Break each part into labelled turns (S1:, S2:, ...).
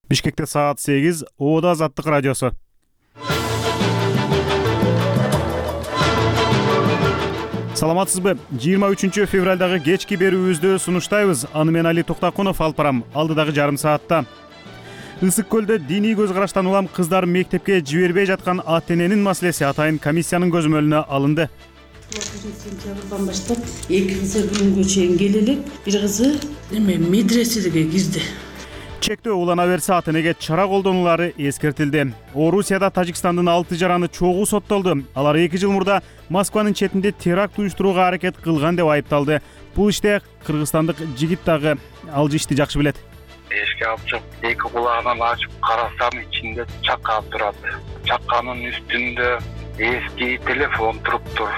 S1: Бишкекте саат 8, Оода Азаттык радиосу. Саламатсызбы? 23 февралдагы кечки берүүбүздү сунуштайбыз. Аны мен Али Токтакунов алып барам. Алдыдагы жарым саатта. Ысык көлдө диний көз караштан улам кыздар мектепке жибербей жаткан ата-эненин маселеси атайын комиссиянын көзөмөлүнө алынды.
S2: 1 сентябрдан баштап 2 кызы бүгүнгө чейин келе элек, бир кызы медреседе кирди.
S1: Чектөө улана берсе ата-энеге чара колдонулары эскертилди. Орусияда Тажикстандын 6 жараны чогуу соттолду. Алар 2 жыл мурда Москванын четинде теракт уюштурууга аракет кылган деп айыпталды. Бул иште кыргызстандык жигит дагы ал ишти жакшы билет.
S3: Эшикке алып чыгып, эки кулагынан ачып карасам, ичинде чака турат. Чаканын үстүндө эски телефон туруптур.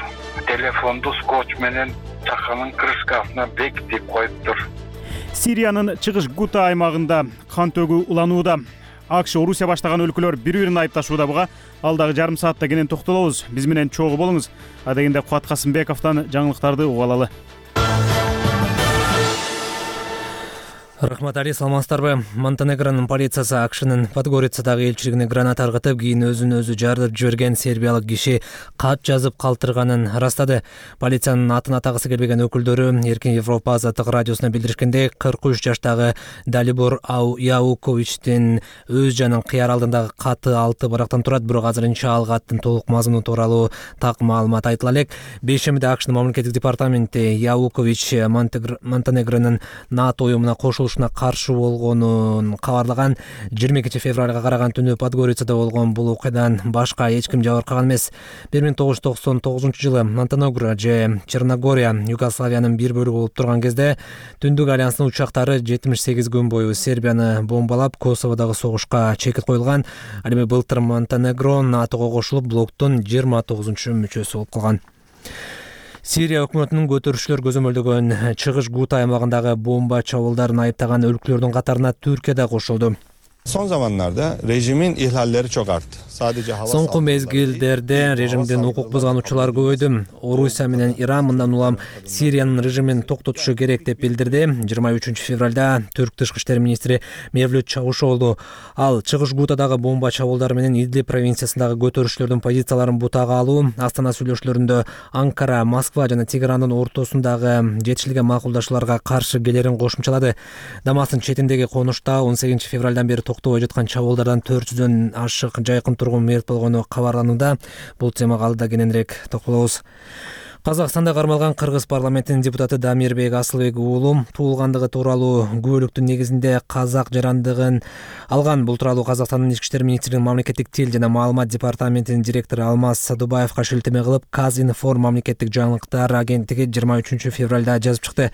S3: Телефонду скотч менен чаканын крышкасына бекитип коюптур.
S1: Сириянын чыгыш Гута аймагында кан төгүү уланууда. АКШ Орусия баштаган өлкөлөр бири-бирин айыпташууда буга. Алдагы жарым саатта кенен токтолобуз. Биз менен чогуу болуңуз. Адегенде Кубат Касымбековдон жаңылыктарды угуп алалы.
S4: Рахмат Али, саламатсыздарбы? Монтенегронун полициясы АКШнын Подгорицадагы элчилигине граната ыргытып, кийин өзүн өзү жарып жиберген сербиялык киши кат жазып калтырганын растады. Полициянын атын атагысы келбеген өкүлдөрү Эркин Европа Азаттык радиосуна билдиришкендей, 43 жаштагы Далибор Яуковичтин өз жанын кыяр алдындагы каты 6 барактан турат, бирок азырынча ал каттын толук мазмуну тууралуу так маалымат айтыла элек. Бейшембиде АКШнын мамлекеттик департаменти Яукович Монтенегронун НАТО уюмуна кошулуш каршы болгонун кабарлаган. 22 февралга караган түнү Подгорицада болгон бул окуядан башка эч ким жабыркаган эмес. 1999 жылы Монтенегро же Черногория Югославиянын бир бөлүгү болуп турган кезде Түндүк альянстын учактары 78 күн бою Сербияны бомбалап, Косоводогу согушка чекит коюлган. Ал эми былтыр Монтенегро НАТОго кошулуп, блоктун 29-мүчөсү болуп калган. Сирия өкмөтүнүн көтөрүшчүлөр көзөмөлдөгөн чыгыш Гута аймагындагы бомба чабуулдарын айыптаган өлкөлөрдүн катарына Түркия да кошулду.
S5: Son zamanlarda rejimin ihlalleri çok arttı.
S4: Соңку мезгилдерде режимдин укук бузгануучулар көбөйдү. Орусия менен Иран мындан улам Сириянын режимин токтотушу керек деп билдирди. 23 февралда Түрк тышкы иштер министри Мевлют Чавушоглу ал чыгыш Гутадагы бомба чабуулдары менен Идлиб провинциясындагы көтөрүшчүлөрдүн позицияларын бутага алуу, Астана сүйлөшүүлөрүндө Анкара, Москва жана Тегерандын ортосундагы жетишилген макулдашууларга каршы келерин кошумчалады. Дамастын четиндеги конушта 18 февралдан бери токтобой жаткан чабуулдардан 400дөн ашык жайкын тургун мерт болгону кабарланууда. Бул темага алдыда кененирээк токтолобуз. Казакстанда кармалган кыргыз парламентинин депутаты Дамирбек Асылбек уулу туулгандыгы тууралуу күбөлүктүн негизинде казак жарандыгын алган. Бул тууралуу Казакстандын ички иштер министринин мамлекеттик тил жана маалымат департаментинин директору Алмаз Садубаевга шилтеме кылып, Казинформ мамлекеттик жаңылыктар агенттиги 23 февралда жазып чыкты.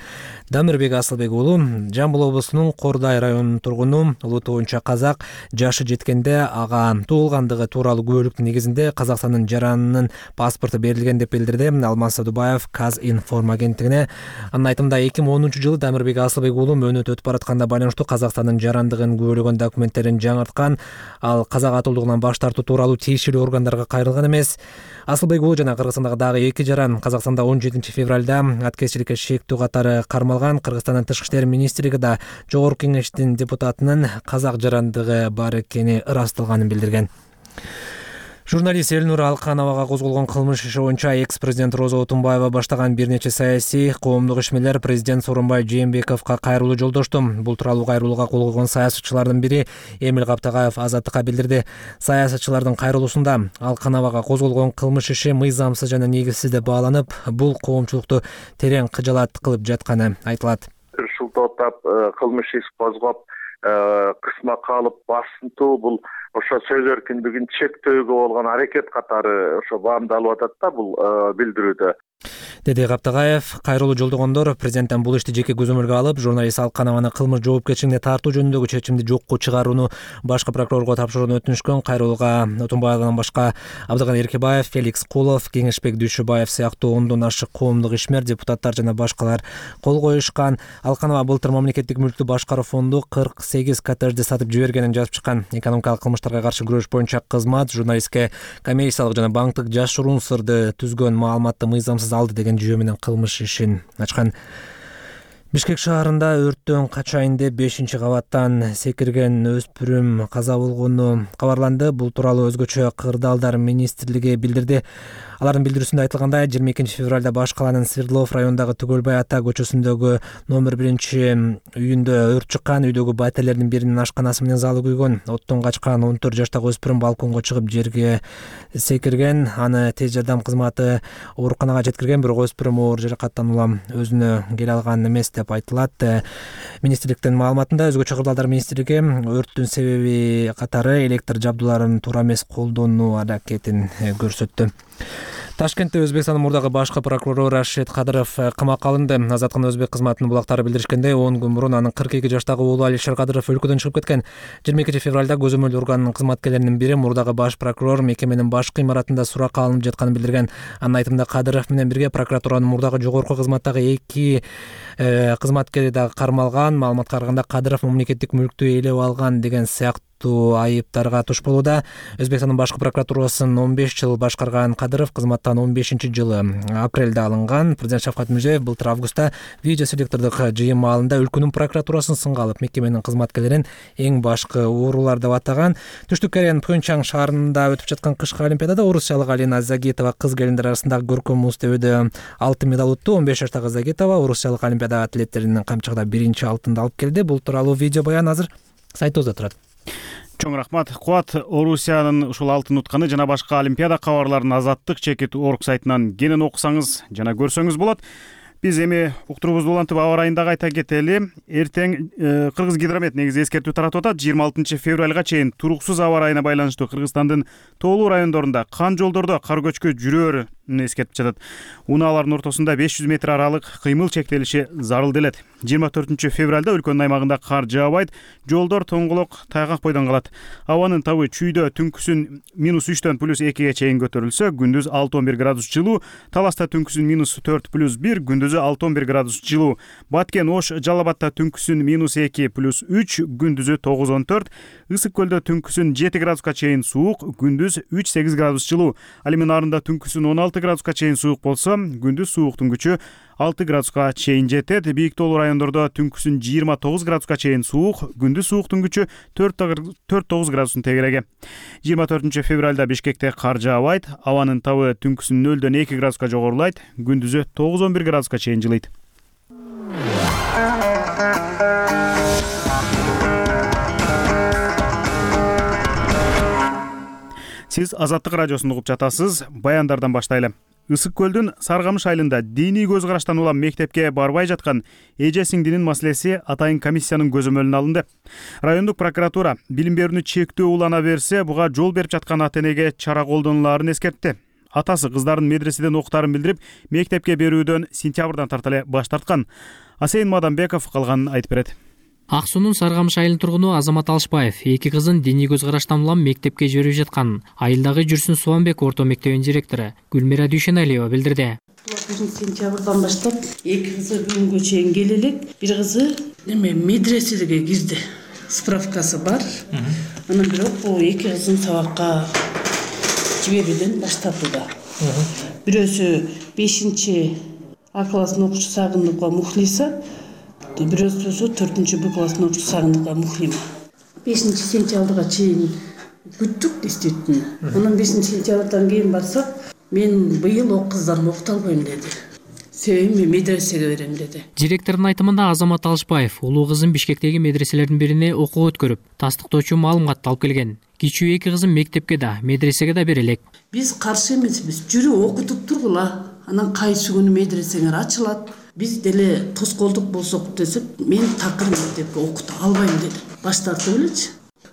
S4: Дамирбек Асылбек уулу Жамбыл облусунун Кордай районунун тургуну, улуу боюнча казак, жашы жеткенде ага туулгандыгы тууралуу күбөлүктүн негизинде Казакстандын жаранынын паспорту берилген деп билдирди Алмаз Садубаев Казинформ агенттигине. Анын айтымында 2010 жылы Дамирбек Асылбек уулу мөөнөт өтүп баратканда байланыштуу Казакстандын жарандыгын күбөлөгөн документтерин жаңырткан. Ал казак атуулугунан баш тартуу тууралуу тиешелүү органдарга кайрылган эмес. Асылбек уулу жана Кыргызстандагы дагы 2 жаран Казакстанда 17 февралда аткезчиликке шектүү катары кармалган. Кыргызстандын тышкы иштер министрлиги да Жогорку кеңештин депутатынын казак жарандыгы бар экени ырасталганын билдирген. Журналист Элнур Алкановага козголгон кылмыш иши боюнча экс-президент Роза Отунбаева баштаган бир нече саясий коомдук ишмерлер президент Сооронбай Жээнбековго кайрылуу жолдошту. Бул тууралуу кайрылууга кол койгон саясатчылардын бири Эмил Каптагаев Азаттыкка билдирди. Саясатчылардын кайрылуусунда Алкановага козголгон кылмыш иши мыйзамсыз жана негизсиз деп бааланып, бул коомчулукту терең кыжалат кылып жатканы айтылат.
S3: Шултоотап кылмыш иш козгоп, кысмакка алып басынтуу, бул ошо сөз эркиндигин чектөөгө болгон аракет катары ошо баамдалып атат да бул билдирүүдө.
S4: деди Каптагаев. Кайрылуу жолдогондор президенттен бул ишти жеке көзөмөлгө алып, журналист Алканованы кылмыш жоопкерчилигине тартуу жөнүндөгү чечимди жокко чыгарууну башкы прокурорго тапшырууну өтүнүшкөн. Кайрылууга Отунбаевдан башка Абдыган Эркебаев, Феликс Кулов, Кеңешбек Дүйшөбаев сыяктуу 10дон ашык коомдук ишмер, депутаттар жана башкалар кол коюшкан. Алканова былтыр мамлекеттик мүлктү башкаруу фонду 48 коттеджди сатып жибергенин жазып чыккан. Экономикалык кылмыштарга каршы күрөш боюнча кызмат журналистке коммерциялык жана банктык жашыруун сырды түзгөн маалыматты мыйзамсыз алды деген жүйө менен кылмыш ишин ачкан. Бишкек шаарында өрттөн качайын деп 5-кабаттан секирген өспүрүм каза болгону кабарланды. Бул тууралуу өзгөчө кырдаалдар министрлиги билдирди. Алардын билдирүүсүндө айтылгандай, 22 февралда Баш калаанын Свердлов районундагы Түгөлбай ата көчөсүндөгү номер 1-үйүндө өрт чыккан. Үйдөгү бателердин биринин ашканасы менен залы күйгөн. Оттон качкан 14 жаштагы өспүрүм балконго чыгып жерге секирген. Аны тез жардам кызматы ооруканага жеткирген, бирок өспүрүм оор жаракаттан улам өзүнө келе алган эмес деп айтылат. Министрликтин маалыматында өзгөчө кырдаалдар министрлиги өрттүн себеби катары электр жабдууларын туура эмес колдонуу аракетин көрсөттү. Ташкентте Өзбекстандын мурдагы башкы прокурору Рашид Кадыров камакка алынды. Азаттык өзбек кызматынын булактары билдиришкендей, 10 күн мурун анын 42 жаштагы уулу Алишер Кадыров өлкөдөн чыгып кеткен. 22 февралда көзөмөл органынын кызматкерлеринин бири мурдагы баш прокурор мекеменин башкы имаратында суракка алынып жатканын билдирген. Анын айтымында Кадыров менен бирге прокуратуранын мурдагы жогорку кызматтагы 2 кызматкери дагы кармалган. Маалыматка караганда Кадыров мамлекеттик мүлктү ээлеп алган деген сыяктуу айыптарга туш болууда. Өзбекстандын башкы прокуратурасын 15 жыл башкарган Кадыров кызматтан 15-жылы апрелде алынган. Президент Шавкат Мирзиёев былтыр августта видеоселектордук жыйын маалында өлкөнүн прокуратурасын сынга алып, мекеменин кызматкерлерин эң башкы уурулар деп атаган. Түштүк Кореянын Пхенчхан шаарында өтүп жаткан кышкы олимпиадада орусиялык Алина Загитова кыз келиндер арасындагы көркөм музтөбөдө алтын медаль утту. 15 жаштагы Загитова орусиялык олимпиада атлеттеринин камчыгында 1-алтынды алып келди. Бул тууралуу видео баян азыр сайтыбызда турат.
S1: Чоң рахмат. Куат Орусиянын ушул алтын утканы жана башка олимпиада кабарларын Азаттык.org сайтынан кенен окусаңыз жана көрсөңүз болот. Биз эми уктуруубузду улантып аба ырайын дагы айта кетели. Эртең Кыргыз гидромет негизи эскертүү таратып атат. 26 февралга чейин туруксуз аба ырайына байланыштуу Кыргызстандын тоолуу райондорунда кан жолдордо кар көчкү жүрөөрүн эскертип жатат. Унаалардын ортосунда 500 метр аралык кыймыл чектелиши зарыл делет. 24 февралда өлкөнүн аймагында кар жаабайт, жолдор тоңголок тайгак бойдон калат. Абанын табы чүйдө түнкүсүн -3-төн +2ге чейин көтөрүлсө, күндүз 6-11 градус жылуу, Таласта түнкүсүн -4+1, күндүзү 6-11 градус жылуу. Баткен, Ош, Жалал Абадта түнкүсүн -2+3, күндүзү 9-14, Ысык көлдө түнкүсүн 7 градуска чейин суук, күндүз 3-8 градус жылуу. Ал эми нарында түнкүсүн 16 градуска чейин суук болсо, күндүз сууктун күчү 6 градуска чейин жетет. Бийик тоолуу райондордо түнкүсүн 29 градуска чейин суук, күндүз сууктун күчү 4-9 градустун тегереги. 24 февралда Бишкекте кар жаабайт, абанын табы түнкүсүн 0-2 градуска жогорулайт, күндүзү 9-11 градуска чейин жылыйт. Сиз Азаттык радиосун угуп жатасыз. Баяндардан баштайлы. Ысык көлдүн Саргамыш айылында диний көз караштан улам мектепке барбай жаткан эже сиңдинин маселеси атайын комиссиянын көзөмөлүнө алынды. Райондук прокуратура билим берүүнү чектөө улана берсе, буга жол берип жаткан ата-энеге чара колдонулаарын эскертти. Атасы кыздарын медреседен окутаарын билдирип, мектепке берүүдөн сентябрдан тарта эле баш тарткан. Асейин Мадамбеков калганын айтып берет.
S6: Ак суунун Саргамыш айылынын тургуну Азамат Алышбаев 2 кызын диний көз караштан улам мектепке жиберип жатканын айылдагы Жүрсүн Субанбек орто мектебинин директору Гүлмира Дүйшеналиева билдирди.
S2: 1 сентябрдан баштап 2 кызы бүгүнгө чейин келе элек. Бир кызы медресеге кирди. Справкасы бар. Анан бирок бул 2 кызын сабакка жиберүүдөн баш тартууда. Бирөөсү 5-А класстын окуучусу Сагындыкова Мухлиса, бирөөсү 4-Б класстын окуучусу Сагындыкова Мухлима. 5 сентябрга чейин күттүк действительно. Анан 5 сентябрдан кийин барсак, мен быйыл о кыздарымды окута албайм деди. Себеби мен медресеге берем деди.
S6: Директордун айтымында Азамат Алышбаев улуу кызын Бишкектеги медреселердин бирине окууга өткөрүп, тастыктоочу маалыматты алып келген. Кичүү 2 кызын мектепке да, медресеге да бере элек.
S2: Биз каршы эмеспиз. Жүрү окутуп тургула. Анан кайсы күнү медресеңер ачылат. Биз деле тоскоолдук болсок десек, мен такыр мектепке окута албайм деди. Баш тартып элечи.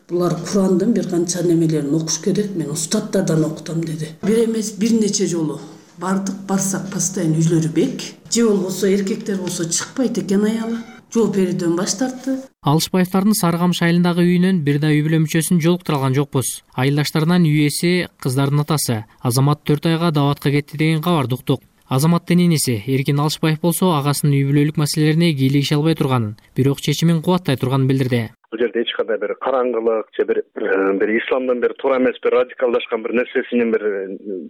S2: Булар Курандын бир канча немелерин окуш керек, мен устаттардан окутам деди. Бир эмес, бир нече жолу бардык, барсак постоянно үйлөрү бек. Же болбосо эркектер болсо чыкпайт экен аялы. Жооп берүүдөн баш тартты.
S6: Алышбаевдардын Саргамыш айылындагы үйүнөн бир да үй бүлө мүчөсүн жолуктура алган жокпуз. Айылдаштарынан үй ээси кыздардын атасы Азамат 4 айга даватка кетти деген кабарды уктук. Азаматтын энеси Эркин Алышбаев болсо агасынын үй бүлөлүк маселелерине кийлигише албай турганын, бирок чечимин кубаттай турганын билдирди.
S7: Бул жерде эч кандай бир караңгылык же бир исламдан бир туура эмес бир радикалдашкан бир нерсесинин бир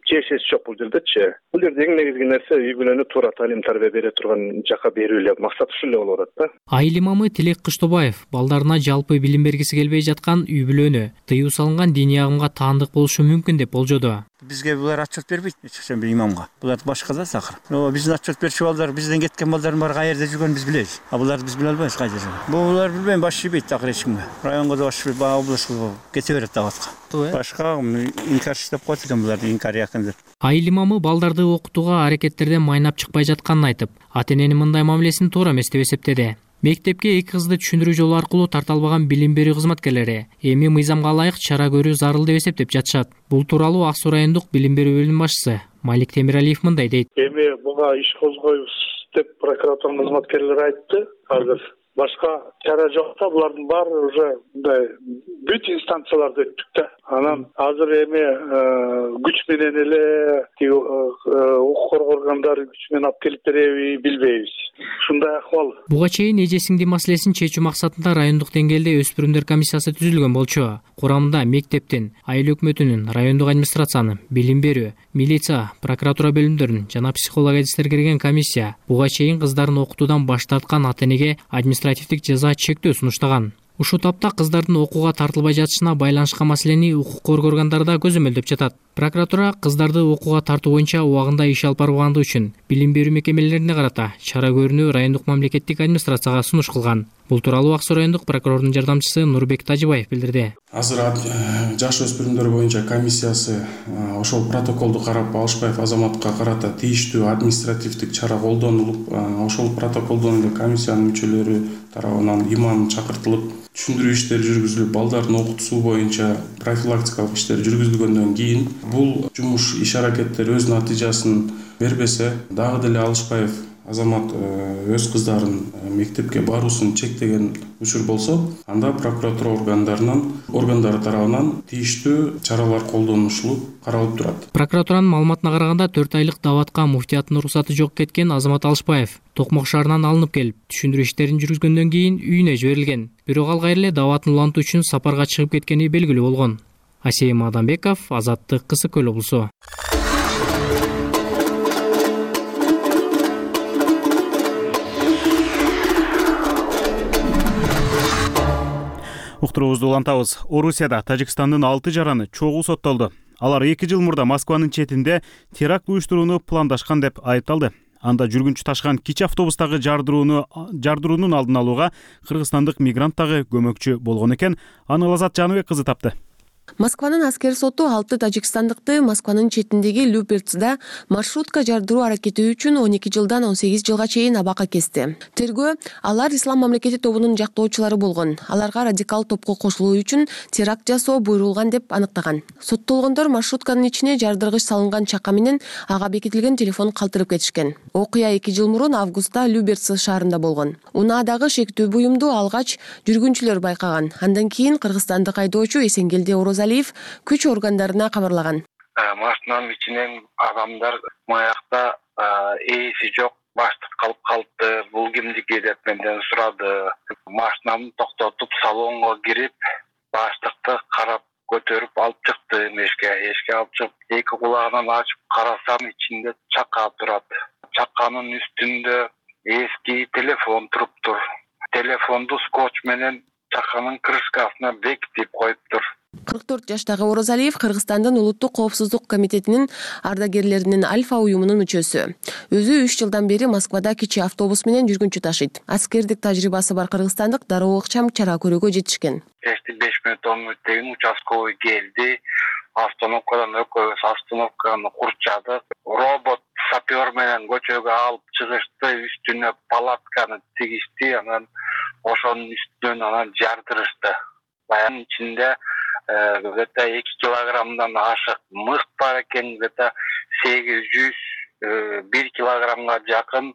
S7: чечеси жок бул жердечи. Бул жерде эң негизги нерсе үй бүлөнү туура талим тарбия бере турган жакка берүү эле максат ушул эле болуп атат да.
S6: Айыл имамы Тилек Кыштобаев балдарына жалпы билим бергиси келбей жаткан үй бүлөнү тыюу салынган диний агымга таандык болушу мүмкүн деп болжоду.
S8: Бизге булар отчет бербейт, эч бир имамга. Булар башка да сакыр. Биздин отчет берчү балдар, бизден кеткен балдардын баары каерде жүргөнүн биз билебиз. Буларды биз биле албайбыз кайда жүргөнүн. Булар билбейм, баш ийбейт акыр эч кимге. Районго да баш ийбейт, областка кете берет даватка. Башка инкар иштеп коет экен буларды, инкар якын деп.
S6: Айыл имамы балдарды окутууга аракеттерден майнап чыкпай жатканын айтып, ата-эненин мындай мамилесин туура эмес деп эсептеди. Мектепке эки кызды түшүндүрүү жолу аркылуу тарта албаган билим берүү кызматкерлери эми мыйзамга ылайык чара көрүү зарыл деп эсептеп жатышат. Бул тууралуу Ак Суу райондук билим берүү бөлүм башчысы Малик Темиралиев мындай дейт.
S9: Эми буга иш козгойбуз деп прокуратура кызматкерлери айтты. Азыр башка чара жок да, булардын баары уже мындай бүт инстанцияларды өттүк да. Анан азыр эми күч менен эле укук коргоо органдары күч менен алып келип береби билбейбиз. Ушундай акыбал.
S6: Буга чейин эже сиңди маселесин чечүү максатында райондук деңгээлде өспүрүмдөр комиссиясы түзүлгөн болчу. Курамында мектептин, айыл өкмөтүнүн, райондук администрациянын, билим берүү, милиция, прокуратура бөлүмдөрүнүн жана психолог адистер кирген комиссия буга чейин кыздарын окутуудан баш тарткан ата-энеге административдик жаза чектөө сунуштаган. Ушул тапта кыздардын окууга тартылбай жатышына байланышкан маселени укук коргоо органдары да көзөмөлдөп жатат. Прокуратура кыздарды окууга тартуу боюнча убагында иш алып барбагандыгы үчүн билим берүү мекемелерине карата чара көрүүнү райондук мамлекеттик администрацияга сунуш кылган. Бул тууралуу Ак Суу райондук прокурордун жардамчысы Нурбек Тажибаев билдирди.
S10: Азыр жаш өспүрүмдөр боюнча комиссиясы ошол протоколду карап Алышбаев Азаматка карата тийиштүү административдик чара колдонулуп, ошол протоколдон эле комиссиянын мүчөлөрү тарабынан имам чакыртылып, түшүндүрүү иштери жүргүзүлүп, балдардын окутуусу боюнча профилактикалык иштер жүргүзүлгөндөн кийин бул жумуш иш аракеттер өз натыйжасын бербесе, дагы деле Алышбаев Азамат өз кыздарын мектепке баруусун чектеген учур болсо, анда прокуратура органдары тарабынан тийиштүү чаралар колдонушулуп каралып турат.
S6: Прокуратуранын маалыматына караганда 4 айлык даватка муфтияттын уруксаты жок кеткен Азамат Алышбаев Токмок шаарынан алынып келип, түшүндүрүү иштерин жүргүзгөндөн кийин үйүнө жиберилген. Бирок ал кайра эле даватын улантуу үчүн сапарга чыгып кеткени белгилүү болгон. Асейим Адамбеков, Азаттык, Кысык Көл облусу.
S1: Уктуруубузду улантабыз. Орусияда Тажикстандын 6 жараны чогуу соттолду. Алар 2 жыл мурда Москванын четинде теракт уюштурууну пландашкан деп айыпталды. Анда жүргүнчү ташыган кичи автобустагы жардыруунун алдын алууга кыргызстандык мигрант дагы көмөкчү болгон экен. Аны Лазат Жаныбек кызы тапты.
S11: Москванын аскер соту 6 тажикстандыкты Москванын четиндеги Люберцда маршрутка жардыруу аракети үчүн 12 жылдан 18 жылга чейин абакка кести. Тергөө алар Ислам мамлекети тобунун жактоочулары болгон. Аларга радикал топко кошулуу үчүн теракт жасоо буйрулган деп аныктаган. Соттолгондор маршрутканын ичине жардыргыч салынган чака менен ага бекитилген телефон калтырып кетишкен. Окуя 2 жыл мурун августта Люберц шаарында болгон. Унаадагы шектүү буюмду алгач жүргүнчүлөр байкаган. Андан кийин кыргызстандык айдоочу Эсенгелди Орозалиев күч органдарына кабарлаган.
S3: Машинанын ичинен адамдар маякта ээси жок, баштык калып калыпты, бул кимдики деп менден сурады. Машинамды токтотуп салонго кирип, баштыкты карап көтөрүп алып чыкты эшикке алып чыгып, эки кулагынан ачып карасам ичинде чака турат. Чаканын үстүндө эски телефон туруптур. Телефонду скотч менен чаканын крышкасына бекитип коюптур.
S11: 44 жаштагы Орозалиев Кыргызстандын Улуттук коопсуздук комитетинин ардагерлеринин Альфа уюмунун мүчөсү. Өзү 3 жылдан бери Москвада кичи автобус менен жүргүнчү ташыйт. Аскердик тажрыйбасы бар кыргызстандык дароо ыкчам чара көрүүгө жетишкен.
S3: 5 мүнөт 10 мүнөттөн участковый келди. Остановкадан экөөбүз остановканы курчадык. Робот сапер менен көчөгө алып чыгышты, үстүнө палатканы тигишти, анан ошонун үстүнөн анан жардырышты. Баянын ичинде где-то 2 килограммдан ашык мыкт бар экен, где-то 800-1 килограммга жакын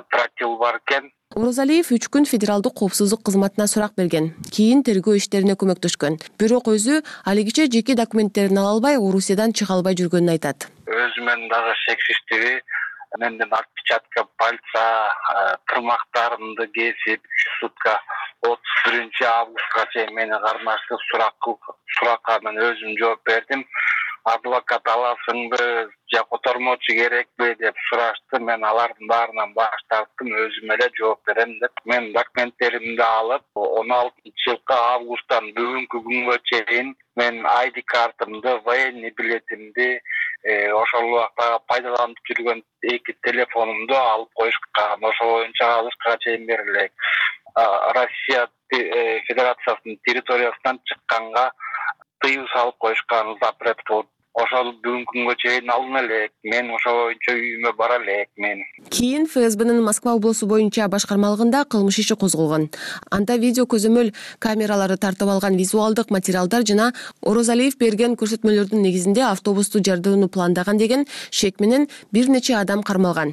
S3: тротил бар экен.
S11: Орозалиев 3 күн федералдык коопсуздук кызматына сурак берген. Кийин тергөө иштерине көмөктөшкөн. Бирок өзү алигиче жеке документтерин ала албай, Орусиядан чыга албай жүргөнүн айтат.
S3: Өзүмөн дагы шексиздиги менден отпечатка пальца, тырмактарымды кесип 3 сутка 31 августка чейин мени кармаштып суракка мен өзүм жооп бердим. Адвокат аласыңбы же котормочу керекпи деп сурашты. Мен алардын баарынан баш тарттым, өзүм эле жооп берем деп. Мен документтеримди алып 16-жылкы августтан бүгүнкү күнгө чейин мен ID картымды, военный билетимди, ошол убакта пайдаланып жүргөн 2 телефонумду алып коюшкан. Ошол боюнча алышка чейин берилек. Россия Федерациясынын территориясынан чыкканга тыюу салып коюшкан, запрет кылып. Ошол бүгүнкү күнгө чейин алына элек. Мен ошол боюнча үйүмө бара элек мен.
S11: Кийин ФСБнын Москва облусу боюнча башкармалыгында кылмыш иши козголгон. Анда видео көзөмөл камералары тартып алган визуалдык материалдар жана Орозалиев берген көрсөтмөлөрдүн негизинде автобусту жардырууну пландаган деген шек менен бир нече адам кармалган.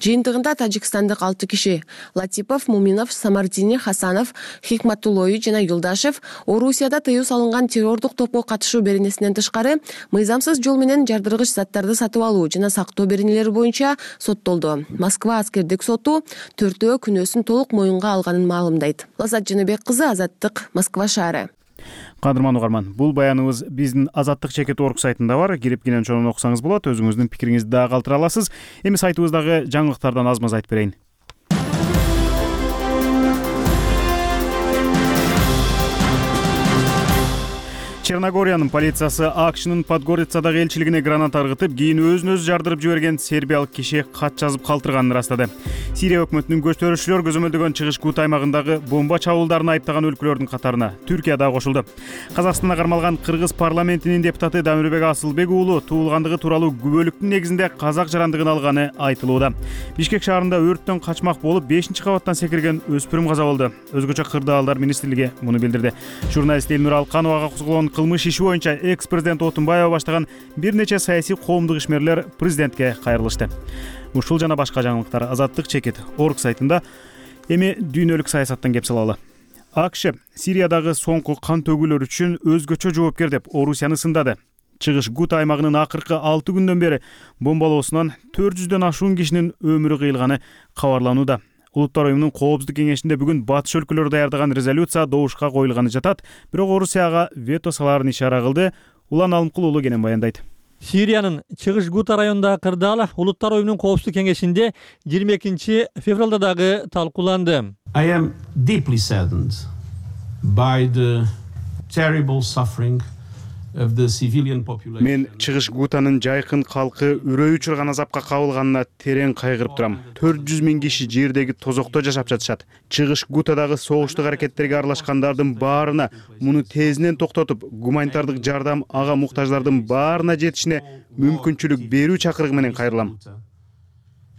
S11: Жыйынтыгында тажикстандык 6 киши Латипов, Муминов, Самардини, Хасанов, Хикматуллой жана Юлдашев Орусияда тыюу салынган террордук топко катышуу беренесинен тышкары мыйзамсыз жол менен жардыргыч заттарды сатып алуу жана сактоо беренелери боюнча соттолду. Москва аскердик соту 4-өө күнөөсүн толук моюнга алганын маалымдайт. Лазат Жаныбек кызы, Азаттык, Москва шаары.
S1: Кадырман угарман, бул баяныбыз биздин Азаттык чекит орг сайтында бар. Кирип кенен чоң окусаңыз болот. Өзүңүздүн пикириңизди дагы калтыра аласыз. Эми сайтыбыздагы жаңылыктардан аз-маз айтып берейин. Черногориянын полициясы АКШнын Подгорицадагы элчилигине граната ыргытып, кийин өзүн өзү жардырып жиберген сербиялык киши кат жазып калтырганын ырастады. Сирия өкмөтүнүн көчтөрүүчүлөр көзөмөлдөгөн чыгыш Гут аймагындагы бомба чабуулдарын айыптаган өлкөлөрдүн катарына Түркия да кошулду. Казакстанда кармалган кыргыз парламентинин депутаты Дамирбек Асылбек уулу туулгандыгы тууралуу күбөлүктүн негизинде казак жарандыгын алганы айтылууда. Бишкек шаарында өрттөн качмак болуп 5-кабаттан секирген өспүрүм каза болду. Өзгөчө кырдаалдар министрлиги муну билдирди. Журналист Элнур Алкановага козголгон кылмыш иши боюнча экс-президент Отунбаева баштаган бир нече саясий коомдук ишмерлер президентке кайрылышты. Ушул жана башка жаңылыктар Азаттык чекит орг сайтында. Эми дүйнөлүк саясаттан кеп салалы. АКШ Сириядагы соңку кан төгүүлөр үчүн өзгөчө жоопкер деп Орусияны сындады. Чыгыш Гут аймагынын акыркы 6 күндөн бери бомбалоосунан 400дөн ашуун кишинин өмүрү кыйылганы кабарланууда. Улуттар уюмунун коопсуздук кеңешинде бүгүн батыш өлкөлөрү даярдаган резолюция добушка коюлганы жатат, бирок Орусияга вето салаарын ишара кылды. Улан Алымкул уулу кенен баяндайт.
S12: Сириянын Чыгыш Гута районундагы кырдаал Улуттар уюмунун коопсуздук кеңешинде 22 февралда дагы талкууланды.
S13: I am deeply saddened by the terrible suffering of the civilian population.
S1: Мен Чыгыш Гутанын жайкын калкы үрөй учурган азапка кабылганына терең кайгырып турам. 400 000 киши жердеги тозокто жашап жатышат. Чыгыш Гутадагы согуштук аракеттерге аралашкандардын баарына муну тезинен токтотуп, гуманитардык жардам ага муктаждардын баарына жетишине мүмкүнчүлүк берүү чакырыгы менен кайрылам.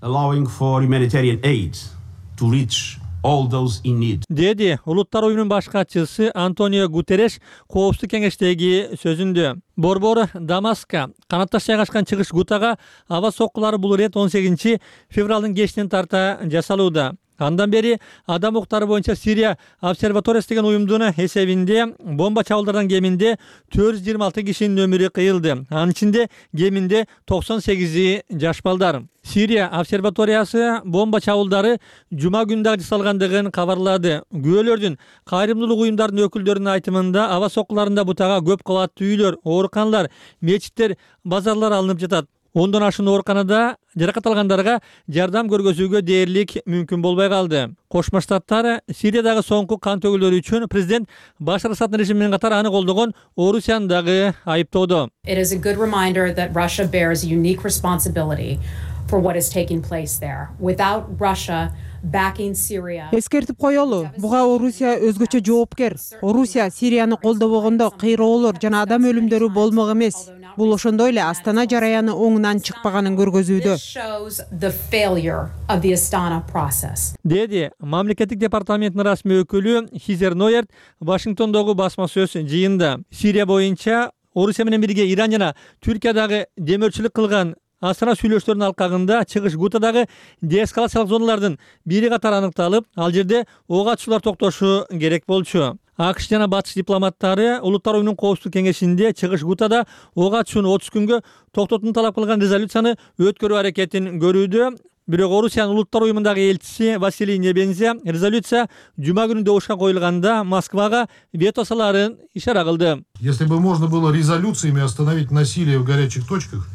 S13: Allowing for humanitarian aid to reach all those in need.
S12: Деди Улуттар уюмунун баш катчысы Антонио Гутереш коопсуздук кеңештеги сөзүндө. Борбор Дамаска канатташ жайгашкан Чыгыш Гутага аба соккулары бул ирет 18 февралдын кечинен тарта жасалууда. Андан бери адам укуктары боюнча Сирия обсерваториясы деген уюмдун эсебинде бомба чабуулдардан кеминде 426 кишинин өмүрү кыйылды. Анын ичинде кеминде 98 жаш балдар. Сирия обсерваториясы бомба чабуулдары жума күнү дагы жасалгандыгын кабарлады. Күбөлөрдүн кайрымдуулук уюмдарынын өкүлдөрүнүн айтымында аба соккуларында бутага көп кабаттуу үйлөр, ооруканалар, мечиттер, базарлар алынып жатат. Ондон ашуун ооруканада жаракат алгандарга жардам көргөзүүгө дээрлик мүмкүн болбой калды. Кошмо Штаттар Сириядагы соңку кан төгүүлөр үчүн президент Башар Асаддын режими менен катар аны колдогон Орусияны дагы айыптоодо.
S14: It is a good reminder that Russia bears a unique responsibility for what is taking place there. Without Russia backing Syria.
S15: Эскертип коелу, буга Орусия өзгөчө жоопкер. Орусия Сирияны колдобогондо кыйроолор жана адам өлүмдөрү болмок эмес. Бул ошондой эле Астана жараяны оңунан чыкпаганын көргөзүүдө.
S12: Деди мамлекеттик департаменттин расмий өкүлү Хизер Нойерт Вашингтондогу басма сөз жыйында. Сирия боюнча Орусия менен бирге Иран жана Түркиядагы демөөрчүлүк кылган Астана сүйлөштөрүнүн алкагында Чыгыш Гутадагы деэскалациялык зоналардын бири катары аныкталып, ал жерде ок атышуулар токтошу керек болчу. АКШ жана батыш дипломаттары Улуттар уюмунун коопсуздук кеңешинде чыгыш Гутада ок атышууну 30 күнгө токтотууну талап кылган резолюцияны өткөрүү аракетин көрүүдө. Бирок Орусиянын Улуттар уюмундагы элчиси Василий Небензя резолюция жума күнү добушка коюлганда Москвага вето салаарын ишара кылды.
S16: Если бы можно было резолюциями остановить насилие в горячих точках,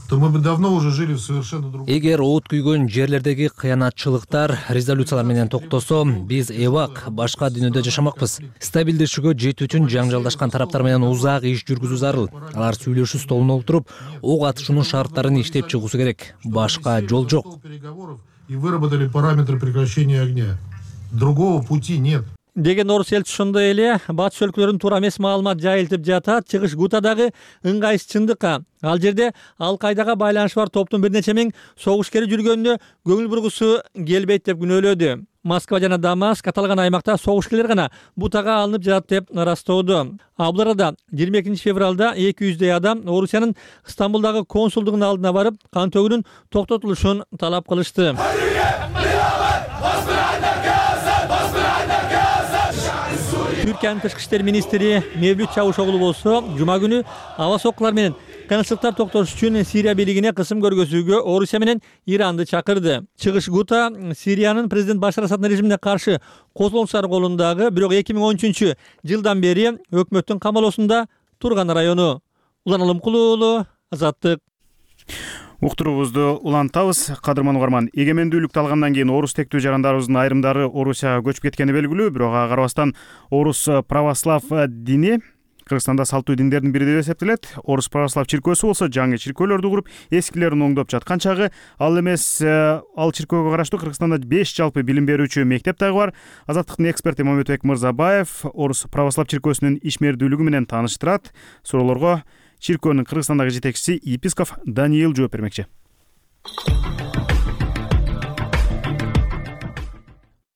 S16: то мы бы давно уже жили в совершенно другом.
S4: Эгер от күйгөн жерлердеги кыянатчылыктар резолюциялар менен токтосо, биз эбак башка дүйнөдө жашамакпыз. Стабилдешүүгө жетүү үчүн жаңжалдашкан тараптар менен узак иш жүргүзүү зарыл. Алар сүйлөшүү столуна отуруп, ок атышуунун шарттарын иштеп чыгуусу керек. Башка жол жок.
S16: И выработали параметры прекращения огня. Другого пути нет.
S12: Деген орус элчиси ошондой эле батыш өлкөлөрүнүн туура эмес маалымат жайылтып жатат. Чыгыш Гутадагы ыңгайсызчындыкка. Ал жерде Ал-Кайдага байланышы бар топтун бир нече миң согушкери жүргөнүнө көңүл бургусу келбейт деп күнөөлөдү. Москва жана Дамаск аталган аймакта согушкерлер гана бутага алынып жатат деп ырастоодо. Бул арада 22 февралда 200 адам Орусиянын Стамбулдагы консулдугунун алдына барып, кан төгүүнүн токтотулушун талап кылышты. Түркиянын тышкы иштер министри Мевлют Чавушоглу болсо, жума күнү аба соккулар менен кыйынчылыктар токтотуш үчүн Сирия бийлигине кысым көргөзүүгө Орусия менен Иранды чакырды. Чыгыш Гута Сириянын президент Башар Асаддын режимине каршы козголуңчулар колундагы, бирок 2013 жылдан бери өкмөттүн камалоосунда турган району. Улан Алымкулуу, Азаттык.
S1: Уктуруубузду улантабыз. Кадырман угарман, эгемендүүлүктү алгандан кийин орус тектүү жарандарыбыздын айрымдары Орусияга көчүп кеткени белгилүү, бирок ага карабастан орус православ дини Кыргызстанда салтуу диндердин бири деп эсептелет. Орус православ чиркөөсү болсо жаңы чиркөөлөрдү куруп, эскилерин оңдоп жаткан чагы. Ал эмес, ал чиркөөгө караштуу Кыргызстанда 5 жалпы билим берүүчү мектеп дагы бар. Азаттыктын эксперти Мамедбек Мырзабаев орус православ чиркөөсүнүн ишмердүүлүгү менен тааныштырат. Суроолорго чиркөөнүн Кыргызстандагы жетекчиси епископ Даниил жооп бермекчи.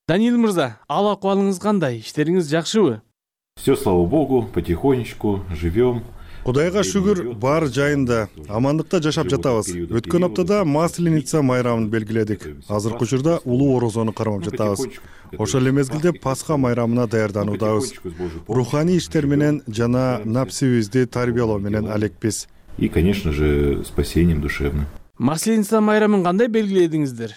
S17: Даниил мырза, ал акыбалыңыз кандай? Иштериңиз жакшыбы?
S18: Все, слава богу, потихонечку живем.
S19: Кудайга шүгүр, бар жайында амандыкта жашап жатабыз. Өткөн аптада Масленица майрамын белгиледик. Азыркы учурда улуу орозону кармап жатабыз. Ошол эле мезгилде Пасха майрамына даярдануудабыз. Руханий иштер менен жана напсибизди тарбиялоо менен алекпиз.
S18: И, конечно же, спасением душевным.
S17: Масленица майрамын кандай белгиледиңиздер?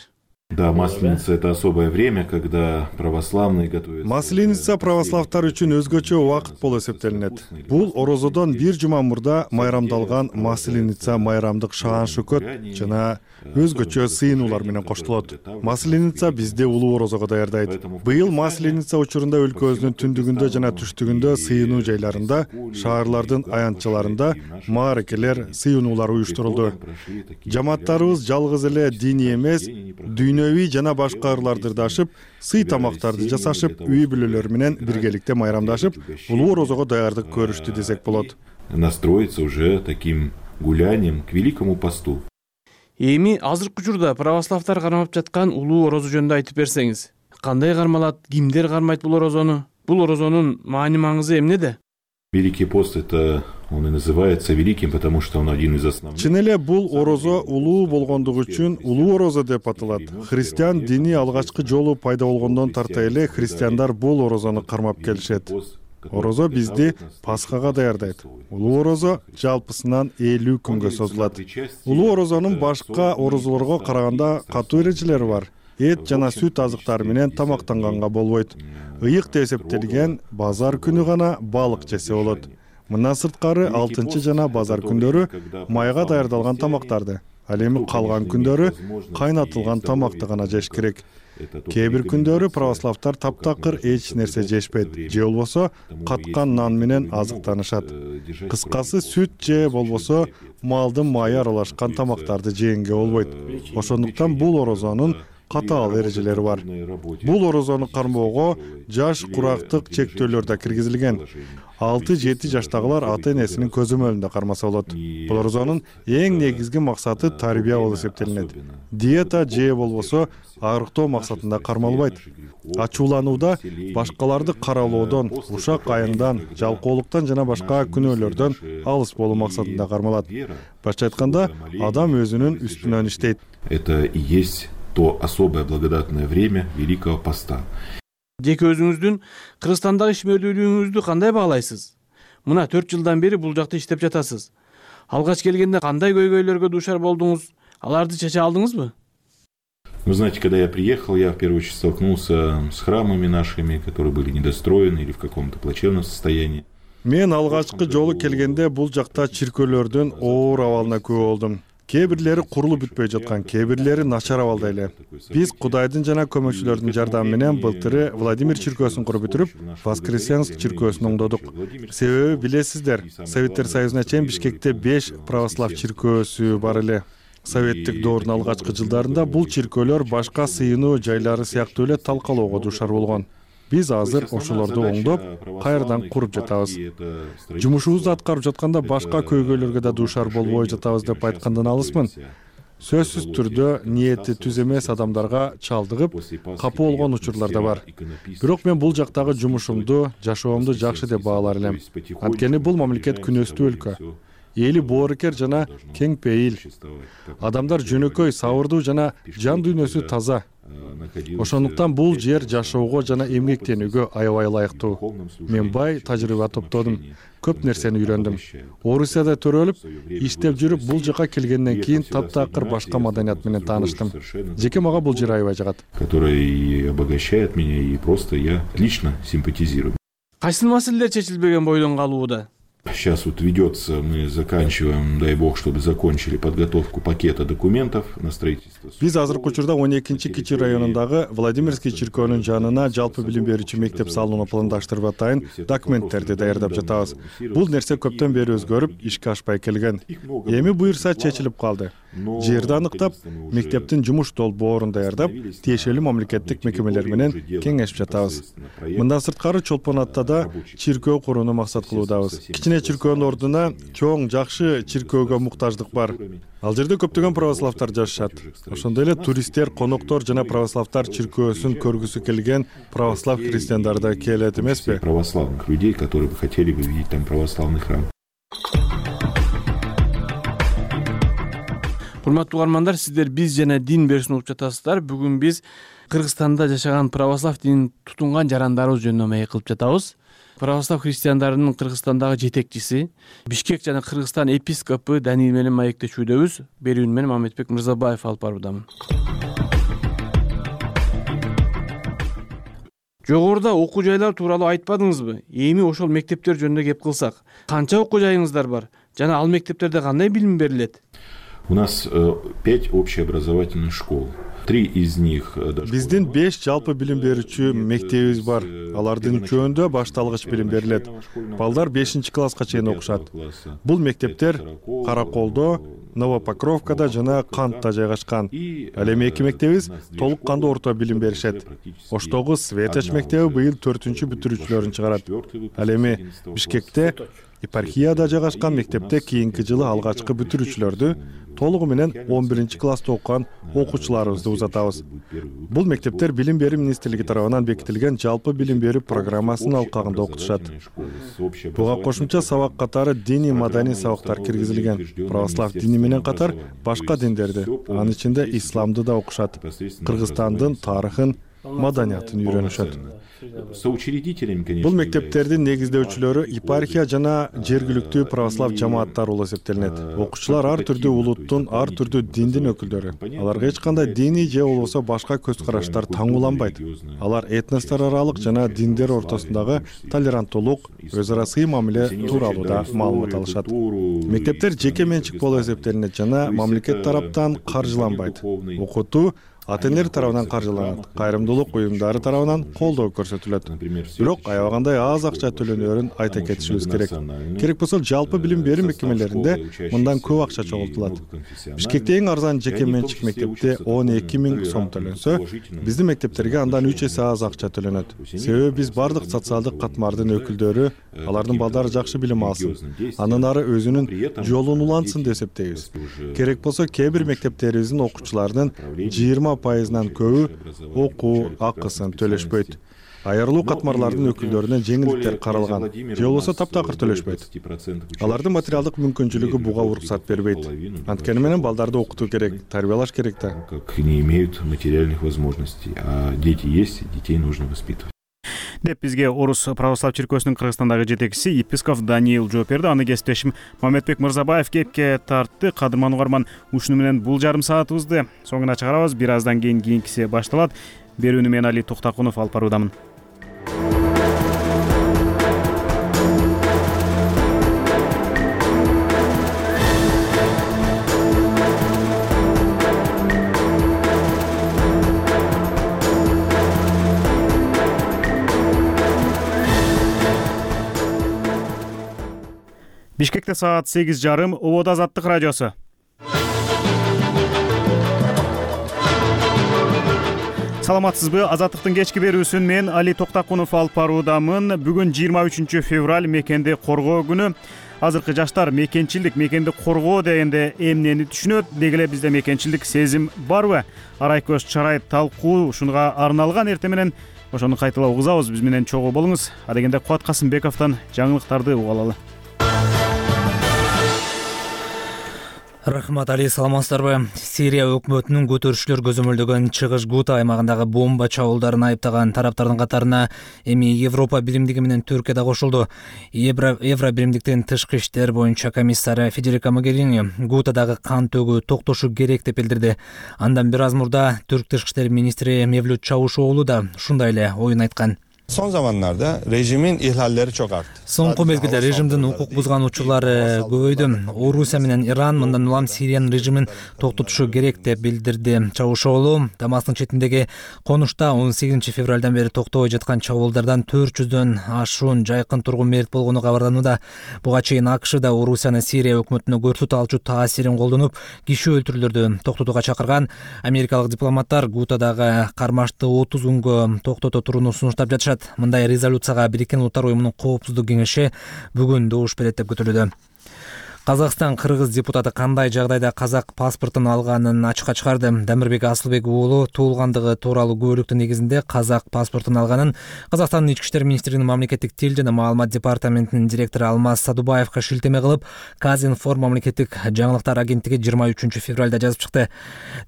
S18: Да, Масленица — это особое время, когда православные готовятся.
S19: Масленица православтар үчүн өзгөчө убакыт болуп эсептелинет. Бул орозодон бир жума мурда майрамдалган Масленица майрамдык шаан шөкөт жана өзгөчө сыйынуулар менен коштулот. Масленица бизде улуу орозого даярдайт. Быйыл Масленица учурунда өлкөбүздүн түндүгүндө жана түштүгүндө сыйынуу жайларында, шаарлардын аянтчаларында мааракелер, сыйынуулар уюштурулду. Жамааттарыбыз жалгыз эле диний эмес, дүйнөвүй жана башка ырларды дашып, сый тамактарды жасашып, үй бүлөлөр менен биргеликте майрамдашып, улуу орозого даярдык көрүштү десек болот.
S18: Настроиться уже таким гулянием к Великому посту.
S17: Эми азыркы учурда православтар кармап жаткан улуу орозо жөнүндө айтып берсеңиз. Кандай кармалат, кимдер кармайт бул орозону? Бул орозонун маани-маңызы эмнеде?
S18: Великий пост — это он и называется великим, потому что он один из основных.
S19: Чын эле бул орозо улуу болгондугу үчүн улуу орозо деп аталат. Христиан дини алгачкы жолу пайда болгондон тарта эле христиандар бул орозону кармап келишет. Орозо бизди Пасхага даярдайт. Улуу орозо жалпысынан 50 күнгө созулат. Улуу орозонун башка орозолорго караганда катуу эрежелери бар. Эт жана сүт азыктары менен тамактанганга болбойт. Ыйык деп эсептелген базар күнү гана балык жесе болот. Мындан сырткары 6 жана базар күндөрү майга даярдалган тамактарды, ал эми калган күндөрү кайнатылган тамакты гана жеш керек. Кээ бир күндөрү православтар таптакыр эч нерсе жешпейт, же болбосо каткан нан менен азыктанышат. Кыскасы сүт же болбосо малдын майы аралашкан тамактарды жегенге болбойт. Ошондуктан бул орозонун катаал эрежелери бар. Бул орозону кармоого жаш курактык чектөөлөр да киргизилген. 6-7 жаштагылар ата-энесинин көзөмөлүндө кармаса болот. Бул орозонун эң негизги максаты тарбия болуп эсептелинет. Диета же болбосо арыктоо максатында кармалбайт. Ачууланууда башкаларды каралоодон, ушак айыңдан, жалкоолуктан жана башка күнөөлөрдөн алыс болуу максатында кармалат. Башка айтканда, адам өзүнүн үстүнөн иштейт.
S18: Это и есть то особое благодатное время Великого Поста.
S17: Жеке өзүңүздүн Кыргызстандагы ишмердүүлүгүңүздү кандай баалайсыз? Мына 4 жылдан бери бул жакта иштеп жатасыз. Алгач келгенде кандай көйгөйлөргө дуушар болдуңуз? Аларды чече алдыңызбы?
S18: Вы знаете, когда я приехал, я в первую очередь столкнулся с храмами нашими, которые были недостроены или в каком-то плачевном состоянии.
S19: Мен алгачкы жолу келгенде бул жакта чиркөөлөрдүн оор абалына күбө болдум. Кээ бирлери курулуп бүтпөй жаткан, кээ бирлери начар абалда эле. Биз Кудайдын жана көмөкчүлөрдүн жардамы менен былтыры Владимир чиркөөсүн куруп бүтүрүп, Воскресенск чиркөөсүн оңдодук. Себеби билесиздер, Советтер Союзуна чейин Бишкекте 5 православ чиркөөсү бар эле. Советтик доордун алгачкы жылдарында бул чиркөөлөр башка сыйынуу жайлары сыяктуу эле талкалоого дуушар болгон. Биз азыр ошолорду оңдоп, кайрадан куруп жатабыз. Жумушубузду аткарып жатканда башка көйгөйлөргө да дуушар болбой жатабыз деп айткандан алысмын. Сөзсүз түрдө ниети түз эмес адамдарга чалдыгып, капы болгон учурлар да бар. Бирок мен бул жактагы жумушумду, жашоомду жакшы деп баалар элем. Анткени бул мамлекет күнөстүү өлкө. Эли боорукер жана кең пейил. Адамдар жөнөкөй, сабырдуу жана жан дүйнөсү таза. Ошондуктан бул жер жашоого жана эмгектенүүгө аябай ылайыктуу. Мен бай тажрыйба топтодум. Көп нерсени үйрөндүм. Орусияда төрөлүп, иштеп жүрүп бул жака келгенден кийин таптакыр башка маданият менен тааныштым. Жеке мага бул жер аябай жагат.
S18: Который обогащает меня и просто я лично симпатизирую.
S17: Кайсы маселелер чечилбеген бойдон калууда?
S18: Сейчас вот ведется, мы заканчиваем, дай бог, чтобы закончили подготовку пакета документов на строительство.
S19: Биз азыркы учурда 12-чи Кичи районундагы Владимирский чиркөөнүн жанына жалпы билим берүүчү мектеп салууну пландаштырып атайын документтерди даярдап жатабыз. Бул нерсе көптөн бери өзгөрүп, ишке ашпай келген. Эми буюрса чечилип калды. Жерди аныктап, мектептин жумуш долбоорун даярдап, тиешелүү мамлекеттик мекемелер менен кеңешип жатабыз. Мындан сырткары Чолпон Аттада чиркөө курууну максат кылуудабыз. Кичине чиркөөнүн ордуна чоң жакшы чиркөөгө муктаждык бар. Ал жерде көптөгөн православтар жашашат. Ошондой эле туристтер, коноктор жана православтар чиркөөсүн көргүсү келген православ христиандар да келет эмеспи?
S18: Православных людей, которые бы хотели бы видеть там православный храм.
S17: Урматтуу угармандар, сиздер биз жана дин берүүсүн угуп жатасыздар. Бүгүн биз Кыргызстанда жашаган православ динин тутунган жарандарыбыз жөнүндө маек кылып жатабыз. Православ христиандарынын Кыргызстандагы жетекчиси, Бишкек жана Кыргызстан епископу Даниил менен маектешүүдөбүз. Берүүнү менен Мамедбек Мырзабаев алып баруудамын. Жогоруда окуу жайлар тууралуу айтпадыңызбы? Эми ошол мектептер жөнүндө кеп кылсак, канча окуу жайыңыздар бар? Жана ал мектептерде кандай билим берилет?
S18: У нас 5 общеобразовательных школ. 3 из них...
S19: Биздин 5 жалпы билим берүүчү мектебибиз бар. Алардын үчөөндө башталгыч билим берилет. Балдар 5-класска чейин окушат. Бул мектептер Караколдо, Новопокровкада жана Кантта жайгашкан. Ал эми 2 мектебибиз толук кандуу орто билим беришет. Оштогу Светоч мектеби быйыл 4-чү бүтүрүүчүлөрүн чыгарат. Ал эми Бишкекте епархияда жайгашкан мектепте кийинки жылы алгачкы бүтүрүүчүлөрдү толугу менен 11-класста окуган окуучуларыбызды узатабыз. Бул мектептер Билим берүү министрлиги тарабынан бекитилген жалпы билим берүү программасынын алкагында окутушат. Буга кошумча сабак катары диний маданий сабактар киргизилген. Православ дини менен катар башка диндерди, анын ичинде исламды да окушат. Кыргызстандын тарыхын, маданиятын үйрөнүшөт. Бул мектептердин негиздөөчүлөрү епархия жана жергиликтүү православ жамааттар болуп эсептелинет. Окуучулар ар түрдүү улуттун, ар түрдүү диндин өкүлдөрү. Аларга эч кандай диний же болбосо башка көз караштар таңууланбайт. Алар этностор аралык жана диндер ортосундагы толеранттуулук, өз ара сый мамиле тууралуу да маалымат алышат. Мектептер жеке менчик болуп эсептелинет жана мамлекет тараптан каржыланбайт. Окутуу ата-энелер тарабынан каржыланат, кайрымдуулук уюмдары тарабынан колдоо көрсөтүлөт. Бирок аябагандай аз акча төлөнөөрүн айта кетишибиз керек. Керек болсо жалпы билим берүү мекемелеринде мындан көп акча чогултулат. Бишкекте эң арзан жеке менчик мектепте 12 000 сом төлөнсө, биздин мектептерге андан 3 эсе аз акча төлөнөт. Себеби биз бардык социалдык катмардын өкүлдөрү алардын балдары жакшы билим алсын, андан ары өзүнүн жолун улантсын деп эсептейбиз. Керек болсо кээ бир мектептерибиздин окуучуларынын 20% көбү окуу акысын төлөшпөйт. Айырылуу катмарлардын өкүлдөрүнө жеңилдиктер каралган, же болбосо таптакыр төлөшпөйт. Алардын материалдык мүмкүнчүлүгү буга уруксат бербейт. Анткени менен балдарды окутуу керек, тарбиялаш керек да.
S18: Как не имеют материальных возможностей, а дети есть, детей нужно воспитывать.
S1: деп бизге Орус православ чиркөөсүнүн Кыргызстандагы жетекчиси епископ Даниил жооп берди. Аны кесиптешим Мамедбек Мырзабаев кепке тартты. Кадырман угарман, ушуну менен бул жарым саатыбызды соңуна чыгарабыз. Бир аздан кийин кийинкиси башталат. Берүүнү мен Али Токтакунов алып баруудамын. Бишкекте саат 8:30. Обода Азаттык радиосу. Саламатсызбы? Азаттыктын кечки берүүсүн мен Али Токтакунов алып баруудамын. Бүгүн 23 февраль, мекенди коргоо күнү. Азыркы жаштар мекенчилдик, мекенди коргоо дегенде эмнени түшүнөт? Деги эле бизде мекенчилдик сезим барбы? Арай көз чарай талкуу ушунга арналган эртең менен ошону кайталап угузабыз. Биз менен чогуу болуңуз. Адегенде Кубат Касымбековдон жаңылыктарды угуп алалы.
S4: Рахмат, Али, саламатсыздарбы? Сирия өкмөтүнүн көтөрүшчүлөр көзөмөлдөгөн чыгыш Гута аймагындагы бомба чабуулдарын айыптаган тараптардын катарына эми Европа биримдиги менен Түркия да кошулду. Евро биримдиктин тышкы иштер боюнча комиссары Федерико Могерини Гутадагы кан төгүү токтошу керек деп билдирди. Андан бир аз мурда Түрк тышкы иштер министри Мевлют Чавушоğlu да ушундай эле оюн айткан.
S5: Son zamanlarda rejimin ihlalleri çok arttı.
S4: Соңку мезгилде режимдин укук бузган учурлары көбөйдү. Орусия менен Иран мындан улам Сириянын режимин токтотушу керек деп билдирди Чавушоğlu. Дамастын четиндеги конушта 18 февралдан бери токтобой жаткан чабуулдардан 400дөн ашуун жайкын тургун мерт болгону кабарланууда. Буга чейин АКШ да Орусиянын Сирия өкмөтүнө көрсөтө алчу таасирин колдонуп, киши өлтүрүүлөрдү токтотууга чакырган. Америкалык дипломаттар Гутадагы кармашты 30 күнгө токтото турууну сунуштап жатышат. Мындай резолюцияга Бириккен Улуттар уюмунун коопсуздук кеңеши бүгүн добуш берет деп күтүлүүдө. Казакстан кыргыз депутаты кандай жагдайда казак паспортун алганын ачыкка чыгарды. Дамирбек Асылбек уулу туулгандыгы тууралуу күбөлүктүн негизинде казак паспортун алганын Казакстандын ички иштер министринин мамлекеттик тил жана маалымат департаментинин директору Алмаз Садубаевга шилтеме кылып, Казинформ мамлекеттик жаңылыктар агенттиги 23 февралда жазып чыкты.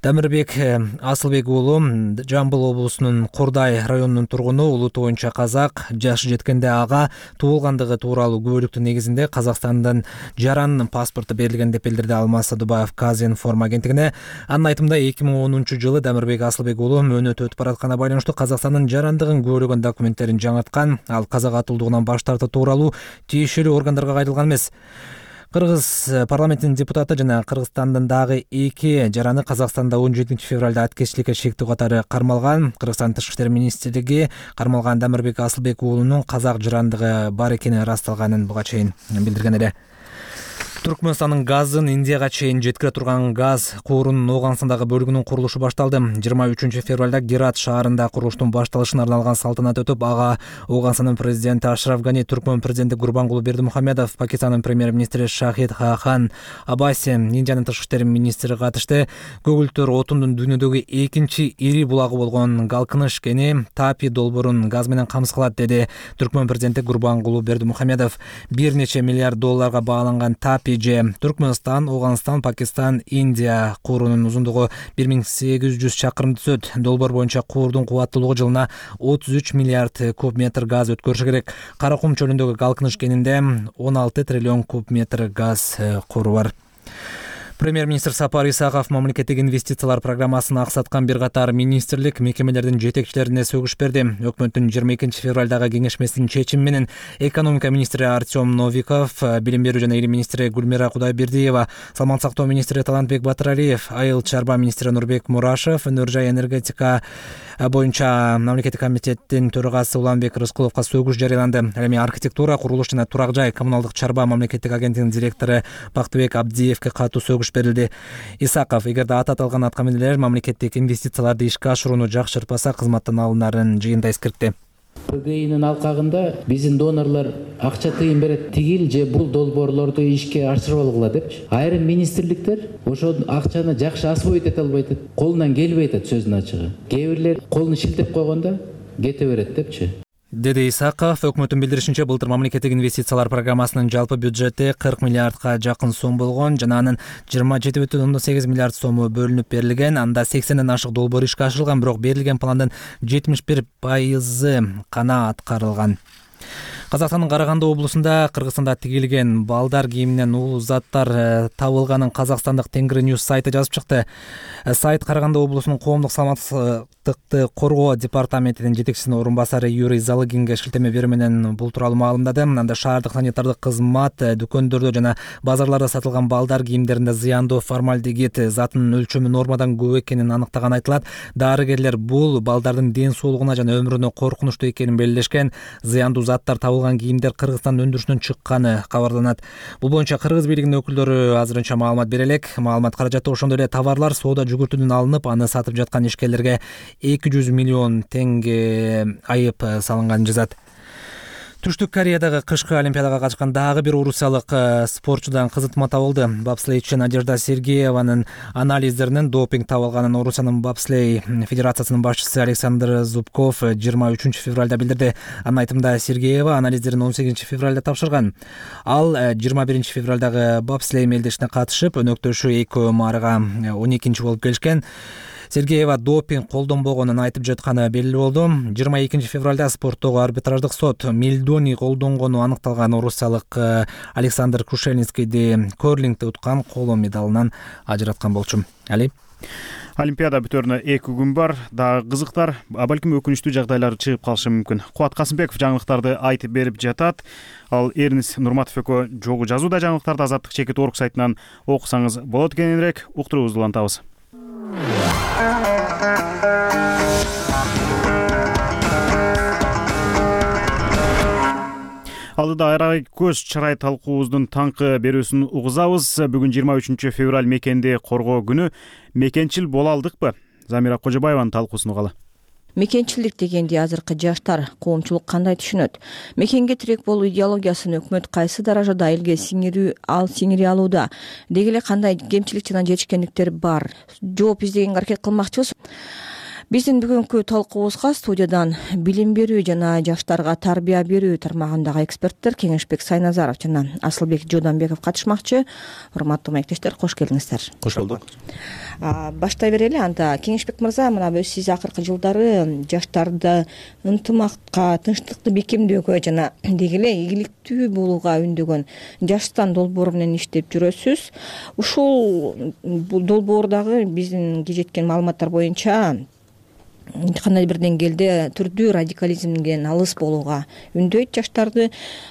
S4: Дамирбек Асылбек уулу Жамбыл облусунун Курдай районунун тургуну, улуту боюнча казак, жашы жеткенде ага туулгандыгы тууралуу күбөлүктүн негизинде Казакстандын жаран паспорту берилген деп билдирди Алмаз Садубаев Казинформ агенттигине. Анын айтымында 2010-жылы Дамирбек Асылбек уулу мөөнөтү өтүп баратканына байланыштуу Казакстандын жарандыгын күбөлөгөн документтерин жаңырткан. Ал казак атуулдугунан баш тартуу тууралуу тиешелүү органдарга кайтылган эмес. Кыргыз парламентинин депутаты жана Кыргызстандын дагы 2 жараны Казакстанда 17 февралда аткечиликке шектүү катары кармалган. Кыргызстан тышкы иштер министрлиги кармалган Дамирбек Асылбек уулунун казак жарандыгы бар экени ырасталганын буга чейин билдирген эле. Түркмөнстандын газын Индияга чейин жеткире турган газ куурунун Ооганстандагы бөлүгүнүн курулушу башталды. 23 февралда Герат шаарында курулуштун башталышына арналган салтанат өтүп, ага Ооганстандын президенти Ашраф Гани, Түркмөн президенти Гурбангулы Бердимухамедов, Пакистандын премьер-министри Шахид Хахан Абаси, Индиянын тышкы иштер министри катышты. Көгүлтөр отундун дүйнөдөгү экинчи ири булагы болгон Галкыныш кени Тапи долбоорун газ менен камсыз кылат, деди Түркмөн президенти Гурбангулы Бердимухамедов. Бир нече миллиард долларга бааланган Тапи Түркмөнстан, Ооганстан, Пакистан, Индия куурунун узундугу 1800 чакырым түзөт. Долбоор боюнча куурдун кубаттуулугу жылына 33 миллиард куб метр газ өткөрүшү керек. Каракум чөлүндөгү Галкыныш кенинде 16 триллион куб метр газ кууру бар. Премьер-министр Сапар Исаков мамлекеттик инвестициялар программасын аксаткан бир катар министрлик мекемелердин жетекчилерине сөгүш берди. Өкмөттүн 22 февралдагы кеңешмесинин чечими менен экономика министри Артем Новиков, билим берүү жана илим министри Гүлмира Кудайбердиева, саламат сактоо министри Талантбек Батыралиев, айыл чарба министри Нурбек Мурашев, өнөр жай энергетика боюнча мамлекеттик комитеттин төрагасы Уланбек Рыскуловго сөгүш жарыяланды. Эми архитектура, курулуш жана турак жай коммуналдык чарба мамлекеттик агенттигинин директору Бактыбек Абдиевге катуу сөгүш берилди. Исаков, эгерде аталган аткаминелер мамлекеттик инвестицияларды ишке ашырууну жакшыртпаса, кызматтан алынарын жыйында эскертти.
S20: ПГИнин алкагында биздин донорлор акча тыйын берет, тигил же бул долбоорлорду ишке ашырып алгыла депчи. Айрым министрликтер ошол акчаны жакшы освоить эте албайт, колунан келбей атат сөздүн ачыгы. Кээ бирлер колун шилтеп койгондо кете берет депчи.
S4: деди Исаков. Өкмөттүн билдиришинче, былтыр мамлекеттик инвестициялар программасынын жалпы бюджети 40 миллиардка жакын сом болгон жана анын 27,8 миллиард сому бөлүнүп берилген. Анда 80ден ашык долбоор ишке ашырылган, бирок берилген пландын 71% гана аткарылган. Казакстандын Караганды облусунда Кыргызстанда тигилген балдар кийиминен улуу заттар табылганын казакстандык Тенгри Ньюс сайты жазып чыкты. Сайт Караганды облусунун коомдук саламаттыкты коргоо департаментинин жетекчисинин орун басары Юрий Залыгинге шилтеме берүү менен бул тууралуу маалымдады. Анда шаардык санитардык кызмат дүкөндөрдө жана базарларда сатылган балдар кийимдеринде зыяндуу формальдегид затынын өлчөмү нормадан көп экенин аныктаганы айтылат. Дарыгерлер бул балдардын ден соолугуна жана өмүрүнө коркунучтуу экенин белгилешкен. Зыяндуу заттар табылган кийимдер Кыргызстан өндүрүшүнөн чыкканы кабарланат. Бул боюнча кыргыз бийлигинин өкүлдөрү азырынча маалымат бере элек. Маалымат каражаты ошондой эле товарлар соода жүгүртүүдөн алынып, аны сатып жаткан ишкерлерге 200 миллион теңге айып салынганын жазат. Түштүк Кореядагы кышкы олимпиадага катышкан дагы бир орусиялык спортчудан кызытма табылды. Бобслейчи Надежда Сергееванын анализдеринен допинг табылганын Орусиянын бобслей федерациясынын башчысы Александр Зубков 23 февралда билдирди. Анын айтымында Сергеева анализдерин 18 февралда тапшырган. Ал 21 февралдагы бобслей мелдешине катышып, өнөктөшү экөө марыга 12 болуп келишкен. Сергеева допинг колдонбогонун айтып жатканы белгилүү болду. 22 февралда спорттогу арбитраждык сот мельдоний колдонгону аныкталган орусиялык Александр Крушельницкийди көрлингде уткан коло медалынан ажыраткан болчу. Али
S1: Олимпиада бүтөрүнө 2 күн бар. Дагы кызыктар, балким өкүнүчтүү жагдайлар чыгып калышы мүмкүн. Кубат Касымбеков жаңылыктарды айтып берип жатат. Ал Эрнис Нурматов экөө жогу жазууда жаңылыктарды Азаттык чекит орг сайтынан окусаңыз болот. Кененирээк уктуруубузду улантабыз. Алдыда айрай көз чырай талкуубуздун таңкы берүүсүн угузабыз. Бүгүн 23 февраль мекенди коргоо күнү. Мекенчил боло алдыкпы? Замира Кожобаеванын талкуусун угалы.
S21: Мекенчилдик дегенди азыркы жаштар, коомчулук кандай түшүнөт? Мекенге тирек болуу идеологиясын өкмөт кайсы даражада элге сиңире алууда? Деги эле кандай кемчилик жана жетишкендиктер бар? Жооп издегенге аракет кылмакчыбыз. Биздин бүгүнкү талкуубузга студиядан билим берүү жана жаштарга тарбия берүү тармагындагы эксперттер Кеңешбек Сайназаров жана Асылбек Жоданбеков катышмакчы. Урматтуу маектештер, кош келиңиздер.
S5: Кош болдук.
S21: Баштай берели. Анда Кеңешбек мырза, мына сиз акыркы жылдары жаштарды ынтымакка, тынчтыкты бекемдөөгө жана деги эле ийгиликтүү болууга үндөгөн Жаштан долбоору менен иштеп жүрөсүз. Ушул долбоордагы биздин жеткен маалыматтар боюнча кандай бир деңгээлде түрдүү радикализмден алыс болууга үндөйт жаштарды.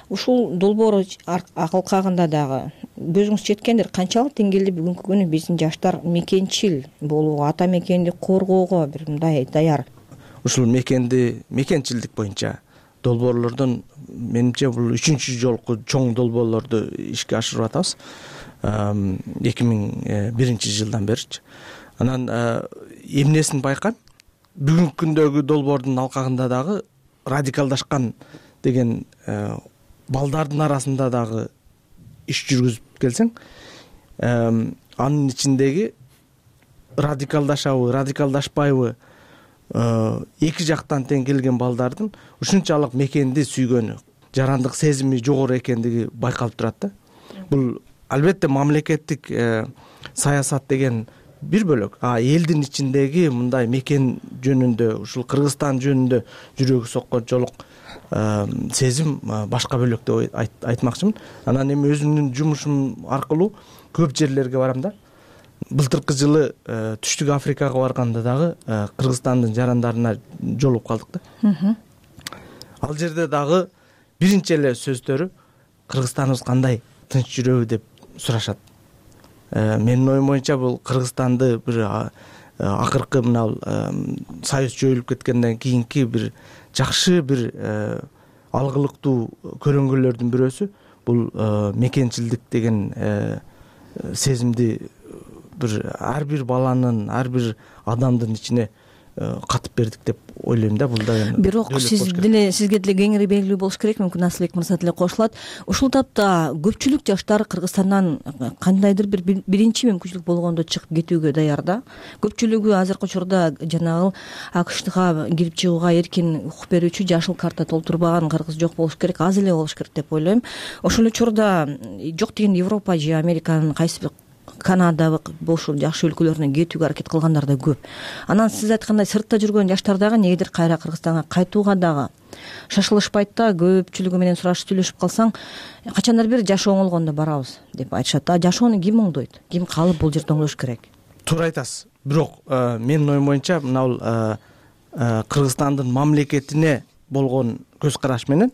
S21: Ушул долбоор акылкагында дагы көзүңүз жеткендир, канчалык деңгээлде бүгүнкү күнү биздин жаштар мекенчил болууга, ата мекенди коргоого бир мындай даяр?
S22: Ушул мекенчилдик боюнча долбоорлордон менимче бул 3-чү жолку чоң долбоорлорду ишке ашырып атабыз 2001 жылдан беричи. Анан эмнесин байкайм? Бүгүнкү күндөгү долбоордун алкагында дагы радикалдашкан деген балдардын арасында дагы иш жүргүзүп келсең, анын ичиндеги радикалдашабы, радикалдашпайбы эки жактан тең келген балдардын ушунчалык мекенди сүйгөнү, жарандык сезими жогору экендиги байкалып турат да. Бул албетте мамлекеттик саясат деген бир бөлөк, элдин ичиндеги мындай мекен жөнүндө, ушул Кыргызстан жөнүндө жүрөгү соккончолук сезим башка бөлөк деп айтмакчымын. Анан эми өзүмдүн жумушум аркылуу көп жерлерге барам да. Былтыркы жылы Түштүк Африкага барганда дагы Кыргызстандын жарандарына жолугуп калдык да. Ал жерде дагы биринчи эле сөздөрү Кыргызстаныбыз кандай, тынч жүрөбү деп сурашат. Менин оюм боюнча бул Кыргызстанды бир акыркы мына союз жойулуп кеткенден кийинки бир жакшы бир алгылыктуу көрөнгөлөрдүн бирөөсү бул мекенчилдик деген сезимди бир ар бир баланын, ар бир адамдын ичине катып бердик деп ойлойм да. Бул да
S21: бирок сизге деле кеңири белгилүү болуш керек, мүмкүн Асылбек мырза деле кошулат. Ушул тапта көпчүлүк жаштар Кыргызстандан кандайдыр бир биринчи мүмкүнчүлүк болгондо чыгып кетүүгө даяр да. Көпчүлүгү азыркы учурда жанагы АКШга кирип чыгууга эркин укук берүүчү жашыл карта толтурбаган кыргыз жок болуш керек, аз эле болуш керек деп ойлойм. Ошол учурда жок деген Европа же Американын кайсы бир Канада ушул жакшы өлкөлөрүнө кетүүгө аракет кылгандар да көп. Анан сиз айткандай сыртта жүргөн жаштар дагы негедир кайра Кыргызстанга кайтууга дагы шашылышпайт да. Көпчүлүгү менен сурашып сүйлөшүп калсаң, качандар бир жашоо оңолгондо барабыз деп айтышат. Жашоону ким оңдойт? Ким калып бул жерде оңдош керек?
S22: Туура айтасыз. Бирок менин оюм боюнча мына бул Кыргызстандын мамлекетине болгон көз караш менен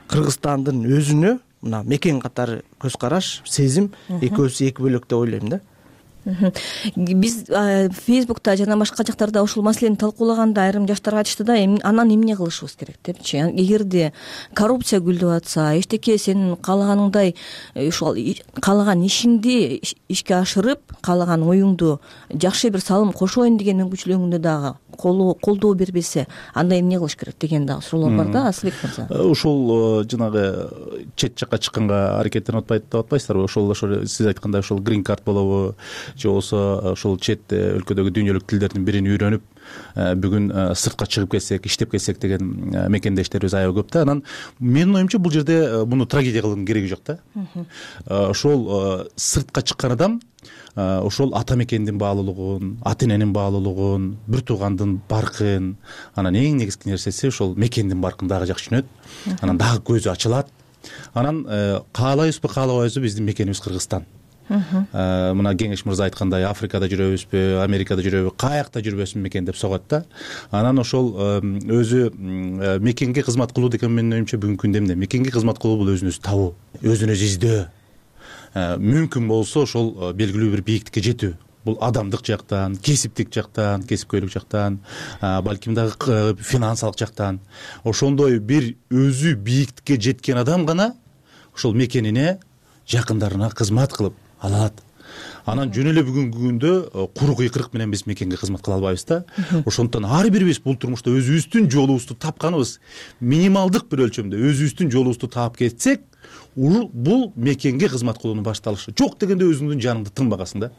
S22: Кыргызстандын өзүнө мына мекен катары көз караш, сезим экөөсү эки бөлөк деп ойлойм да.
S21: Биз Фейсбукта жана башка жактарда ушул маселени талкуулаганда айрым жаштар айтышты да, анан эмне кылышыбыз керек депчи. Эгерде коррупция гүлдөп атса, эчтеке сенин каалаганыңдай ушул каалаган ишиңди ишке ашырып, каалаган оюңду жакшы бир салым кошоюн деген мүмкүнчүлүгүңдү дагы колдоо бербесе, анда эмне кылыш керек деген дагы суроолор бар да, Асылбек мырза.
S2: Ушул жанагы чет жакка чыкканга аракеттенип атпайсыздарбы? Ошол сиз айткандай ошол грин карт болобу, же болбосо ошол чет өлкөдөгү дүйнөлүк тилдердин бирин үйрөнүп бүгүн сыртка чыгып кетсек, иштеп кетсек деген мекендештерибиз аябай көп да. Анан менин оюмча бул жерде муну трагедия кылуунун кереги жок да. Ошол сыртка чыккан адам ошол ата мекендин баалуулугун, ата эненин баалуулугун, бир туугандын баркын, анан эң негизги нерсеси ошол мекендин баркын дагы жакшы түшүнөт. Анан дагы көзү ачылат. Анан каалайбызбы, каалабайбызбы, биздин мекенибиз Кыргызстан. Мына Кеңеш мырза айткандай, Африкада жүрөбүзбү, Америкада жүрөбү, каякта жүрбөсүн мекен деп согот да. Анан ошол өзү мекенге кызмат кылуу деген менин оюмча бүгүнкү күндө эмне? Мекенге кызмат кылуу бул өзүн өзү табуу, өзүн өзү издөө. Мүмкүн болсо ошол белгилүү бир бийиктикке жетүү. Бул адамдык жактан, кесиптик жактан, кесипкөйлүк жактан, балким дагы финансалык жактан. Ошондой бир өзү бийиктикке жеткен адам гана ошол мекенине, жакындарына кызмат кылып алат. Анан жөн эле бүгүнкү күндө куру кыйкырык менен биз мекенге кызмат кыла албайбыз да. Ошондуктан ар бирибиз бул турмушта өзүбүздүн жолубузду тапканыбыз минималдык бир өлчөмдө өзүбүздүн жолубузду таап кетсек, бул мекенге кызмат кылуунун башталышы. Жок дегенде өзүңдүн жаныңды тынбагасың да.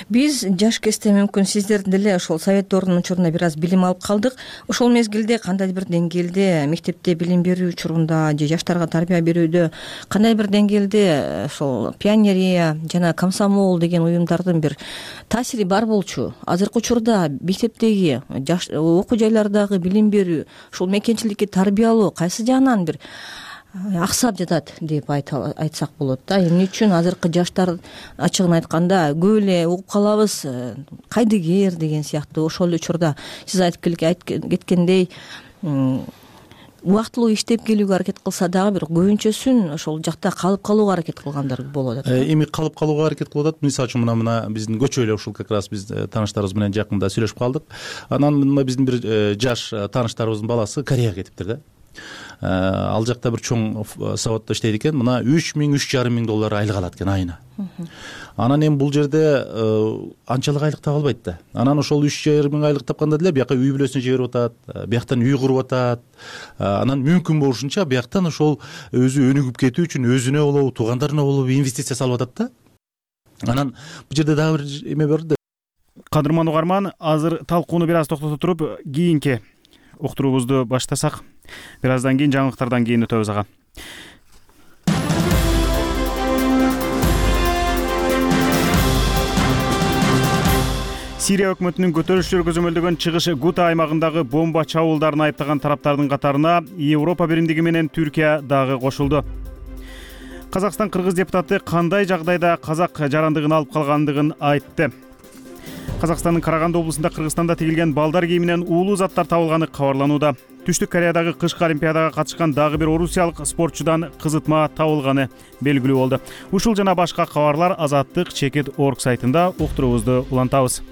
S21: Биз жаш кезде мүмкүн сиздердин деле ошол совет дорунун учурунда бир аз билим алып калдык. Ошол мезгилде кандай бир деңгээлде мектепте билим берүү учурунда же жаштарга тарбия берүүдө кандай бир деңгээлде ошол пионерия жана комсомол деген уюмдардын бир таасири бар болчу? Азыркы учурда мектептеги окуу жайлардагы билим берүү, ушул мекенчиликке тарбиялоо кайсы жагынан бир аксап жатат деп айтсак болот да. Эмне үчүн азыркы жаштар ачыгын айтканда көп эле угуп калабыз, кайдыгер деген сыяктуу. Ошол учурда сиз айтып кеткендей убактылуу иштеп келүүгө аракет кылса дагы бир көбүнчөсүн ошол жакта калып калууга аракет кылгандар болуп атат.
S2: Эми калып калууга аракет кылып атат. Мисалы үчүн мына биздин көчө эле ушул как раз биз тааныштарыбыз менен жакында сүйлөшүп калдык. Анан мына биздин бир жаш тааныштарыбыздын баласы Кореяга кетиптир да. Ал жакта бир чоң заводдо иштейт экен. Мына 3,000–3,5 миң доллар айлык алат экен айына. Анан эми бул жерде анчалык айлык таба албайт да. Анан ошол 3,5 миң айлык тапканда деле бияка үй бүлөсүнө жиберип атат, бияктан үй куруп атат. Анан мүмкүн болушунча бияктан ошол өзү өнүгүп кетүү үчүн өзүнө болобу, туугандарына болобу инвестиция салып атат да. Анан бул жерде дагы бир эме бар да.
S1: Кадырман угарман, азыр талкууну бир аз токтото туруп, кийинки уктуруубузду баштасак, бир аздан кийин жаңылыктардан кийин өтөбүз ага. Сирия өкмөтүнүн көтөрүлүштөр көзөмөлдөгөн чыгыш Гута аймагындагы бомба чабуулдарын айыптаган тараптардын катарына Европа биримдиги менен Түркия дагы кошулду. Казакстан кыргыз депутаты кандай жагдайда казак жарандыгын алып калгандыгын айтты. Казакстандын Караганды облусунда Кыргызстанда тигилген балдар кийиминен уулуу заттар табылганы кабарланууда. Түштүк Кореядагы кышкы олимпиадага катышкан дагы бир орусиялык спортчудан кызытма табылганы белгилүү болду. Ушул жана башка кабарлар Азаттык Чекит.org сайтында уктуруубузду улантабыз.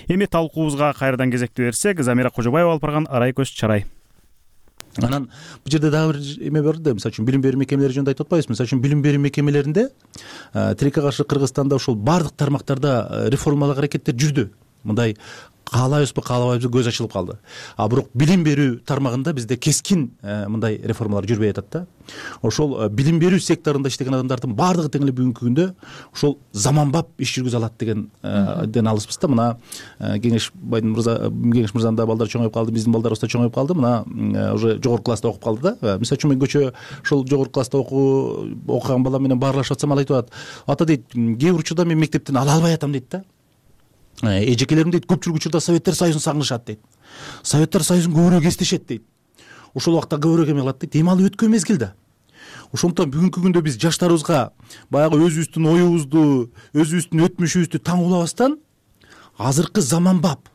S1: Эми талкуубузга кайрадан кезекти берсек, Замира Кожобаева алып барган Арай көз чарай.
S2: Анан бул жерде дагы бир эме бар да, мисалы үчүн билим берүү мекемелери жөнүндө айтып атпайбызбы? Мисалы үчүн билим берүү мекемелеринде тилекке каршы Кыргызстанда ошол бардык тармактарда реформалык аракеттер жүрдү. мындай каалайбызбы каалабайбызбы көз ачылып калды. А бирок билим берүү тармагында бизде кескин мындай реформалар жүрбөй атат да. Ошол билим берүү секторунда иштеген адамдардын баардыгы тең эле бүгүнкү күндө ошол заманбап иш жүргүзө алат ден алыспыз да. Мына Кеңеш мырзанын да балдары чоңоюп калды, биздин балдарыбыз да чоңоюп калды. Мына уже жогорку класста окуп калды да. Мисалы үчүн мен көчө ошол жогорку класста окуган балам менен баарлашып атсам, ал айтып атат: ата дейт, кээ бир учурда мен мектептен ала албай атам дейт да. Эжекелерим дейт, көпчүлүк учурда Советтер Союзун сагынышат дейт. Советтер Союзун көбүрөөк эстешет дейт. Ошол убакта көбүрөөк эме кылат дейт. Эми ал өткөн мезгил да. Ошондуктан бүгүнкү күндө биз жаштарыбызга баягы өзүбүздүн оюбузду, өзүбүздүн өтмүшүбүздү таңуулабастан азыркы заманбап,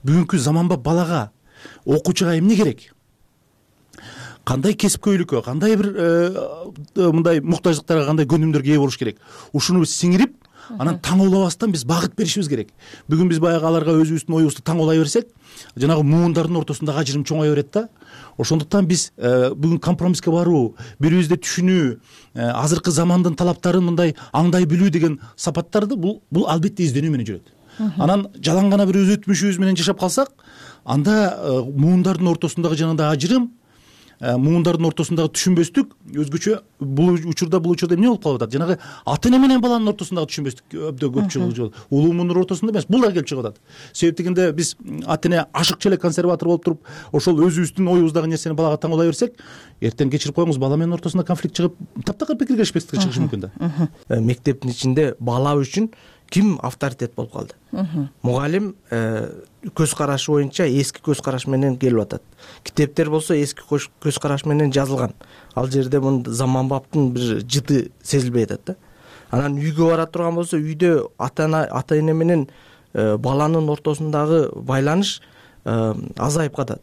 S2: бүгүнкү заманбап балага, окуучуга эмне керек? Кандай кесипкөйлүккө, кандай бир мындай муктаждыктарга, кандай көнүмдөргө ээ болуш керек? Ушуну биз сиңирип, анан таңуулабастан биз багыт беришибиз керек. Бүгүн биз баягы аларга өзүбүздүн оюбузду таңуулай берсек, жанагы муундардын ортосундагы ажырым чоңое берет да. Ошондуктан биз бүгүн компромисске баруу, бири бирибизди түшүнүү, азыркы замандын талаптарын мындай аңдай билүү деген сапаттарды бул албетте изденүү менен жүрөт. Анан жалаң гана бир өз өтмүшүбүз менен жашап калсак, анда муундардын ортосундагы жанагындай ажырым, муундардын ортосундагы түшүнбөстүк өзгөчө бул учурда эмне болуп калып атат? Жанагы ата эне менен баланын ортосундагы түшүнбөстүк өбдө көп чыгып, улуу муунун ортосунда эмес, бул да келип чыгып атат. Себеп дегенде биз ата эне ашыкчу эле консерватор болуп туруп, ошол өзүбүздүн оюбуздагы нерсени балага таңуулай берсек, эртең кечирип коюңуз, бала менен ортосунда конфликт чыгып, таптакыр пикир келишпестик чыгышы мүмкүн да.
S22: Мектептин ичинде бала үчүн ким авторитет болуп калды? Мугалим көз карашы боюнча эски көз караш менен келип атат. Китептер болсо эски көз караш менен жазылган. Ал жерде мына заманбаптын бир жыты сезилбей атат да. Анан үйгө бара турган болсо, үйдө ата эне менен баланын ортосундагы байланыш азайып калат.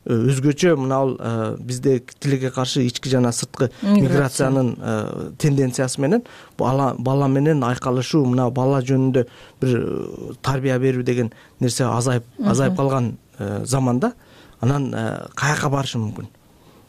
S22: Өзгөчө мына бизде тилекке каршы ички жана сырткы миграциянын тенденциясы менен бала менен айкалышуу, мына бала жөнүндө бир тарбия берүү деген нерсе азайып калган заманда, анан каяка барышы мүмкүн?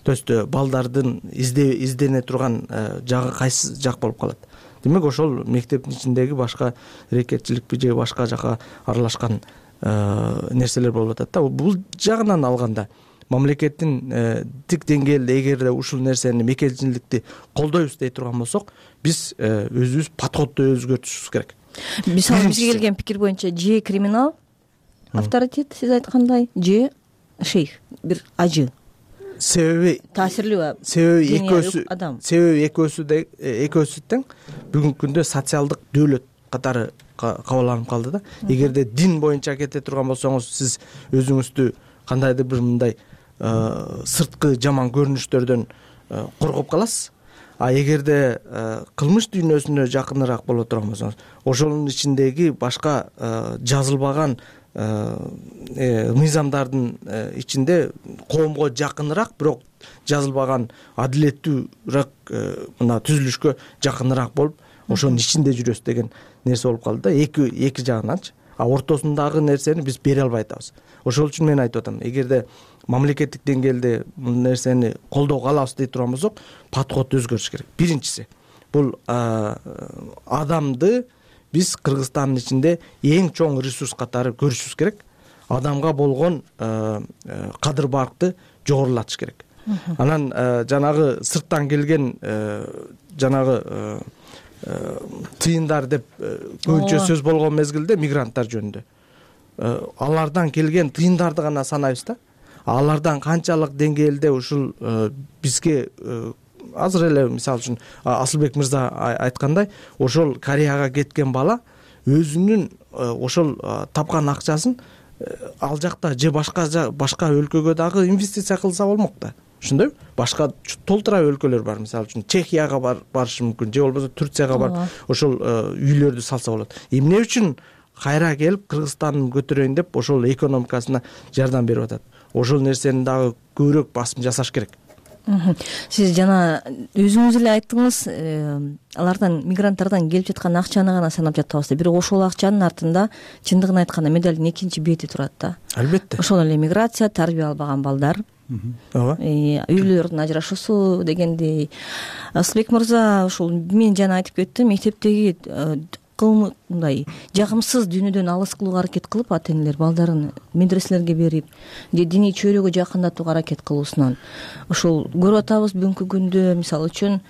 S22: То есть балдардын издене турган жагы кайсы жак болуп калат? Демек ошол мектептин ичиндеги башка рекетчиликпи же башка жака аралашкан нерселер болуп атат да. Бул жагынан алганда мамлекеттин тик деңгээлде эгерде ушул нерсени мекенчиликти колдойбуз дей турган болсок, биз өзүбүз подходду өзгөртүшүбүз керек.
S21: Мисалы бизге келген пикир боюнча же криминал авторитет, сиз айткандай, же шейх, бир ажы.
S22: Себеби
S21: таасирлүү,
S22: себеби экөөсү тең бүгүнкү күндө социалдык дөөлөт катары кабыланып калды да. Эгерде дин боюнча кете турган болсоңуз, сиз өзүңүздү кандайдыр бир мындай сырткы жаман көрүнүштөрдөн коргоп каласыз. А эгерде кылмыш дүйнөсүнө жакыныраак боло турган болсоңуз, ошонун ичиндеги башка жазылбаган мыйзамдардын ичинде коомго жакыныраак, бирок жазылбаган адилеттүүрөөк мына түзүлүшкө жакыныраак болуп, ошонун ичинде жүрөсүз деген нерсе болуп калды да. Эки жагынанчы. А ортосундагы нерсени биз бере албай атабыз. Ошол үчүн мен айтып атам, эгерде мамлекеттик деңгээлде бул нерсени колдоого алабыз дей турган болсок, подход өзгөрүш керек. Биринчиси, бул адамды биз Кыргызстандын ичинде эң чоң ресурс катары көрүшүбүз керек. Адамга болгон кадыр баркты жогорулатыш керек. Анан жанагы сырттан келген жанагы тыйындар деп көбүнчө сөз болгон мезгилде мигранттар жөнүндө алардан келген тыйындарды гана санайбыз да. Алардан канчалык деңгээлде ушул бизге азыр эле мисалы үчүн Асылбек мырза айткандай, ошол Кореяга кеткен бала өзүнүн ошол тапкан акчасын ал жакта же башка өлкөгө дагы инвестиция кылса болмок да. Ошондойбу? Башка толтура өлкөлөр бар, мисалы үчүн Чехияга барышы мүмкүн, же болбосо Турцияга барып ошол үйлөрдү салса болот. Эмне үчүн кайра келип Кыргызстандын көтөрөйүн деп ошол экономикасына жардам берип атат? Ошол нерсени дагы көбүрөөк басым жасаш керек.
S21: Сиз жана өзүңүз эле айттыңыз, алардан, мигранттардан келип жаткан акчаны гана санап жатабыз деп. Бирок ошол акчанын артында чындыгын айтканда медалдын экинчи бети турат да.
S22: Албетте.
S21: Ошол эле миграция, тарбия албаган балдар, үйлөрдүн ажырашуусу дегендей. Асылбек мырза ушул мен жана айтып кеттим, мектептеги мындай жагымсыз дүйнөдөн алыс кылууга аракет кылып, ата энелер балдарын медреселерге берип же диний чөйрөгө жакындатууга аракет кылуусунан ошол көрүп атабыз бүгүнкү күндө. Мисалы үчүн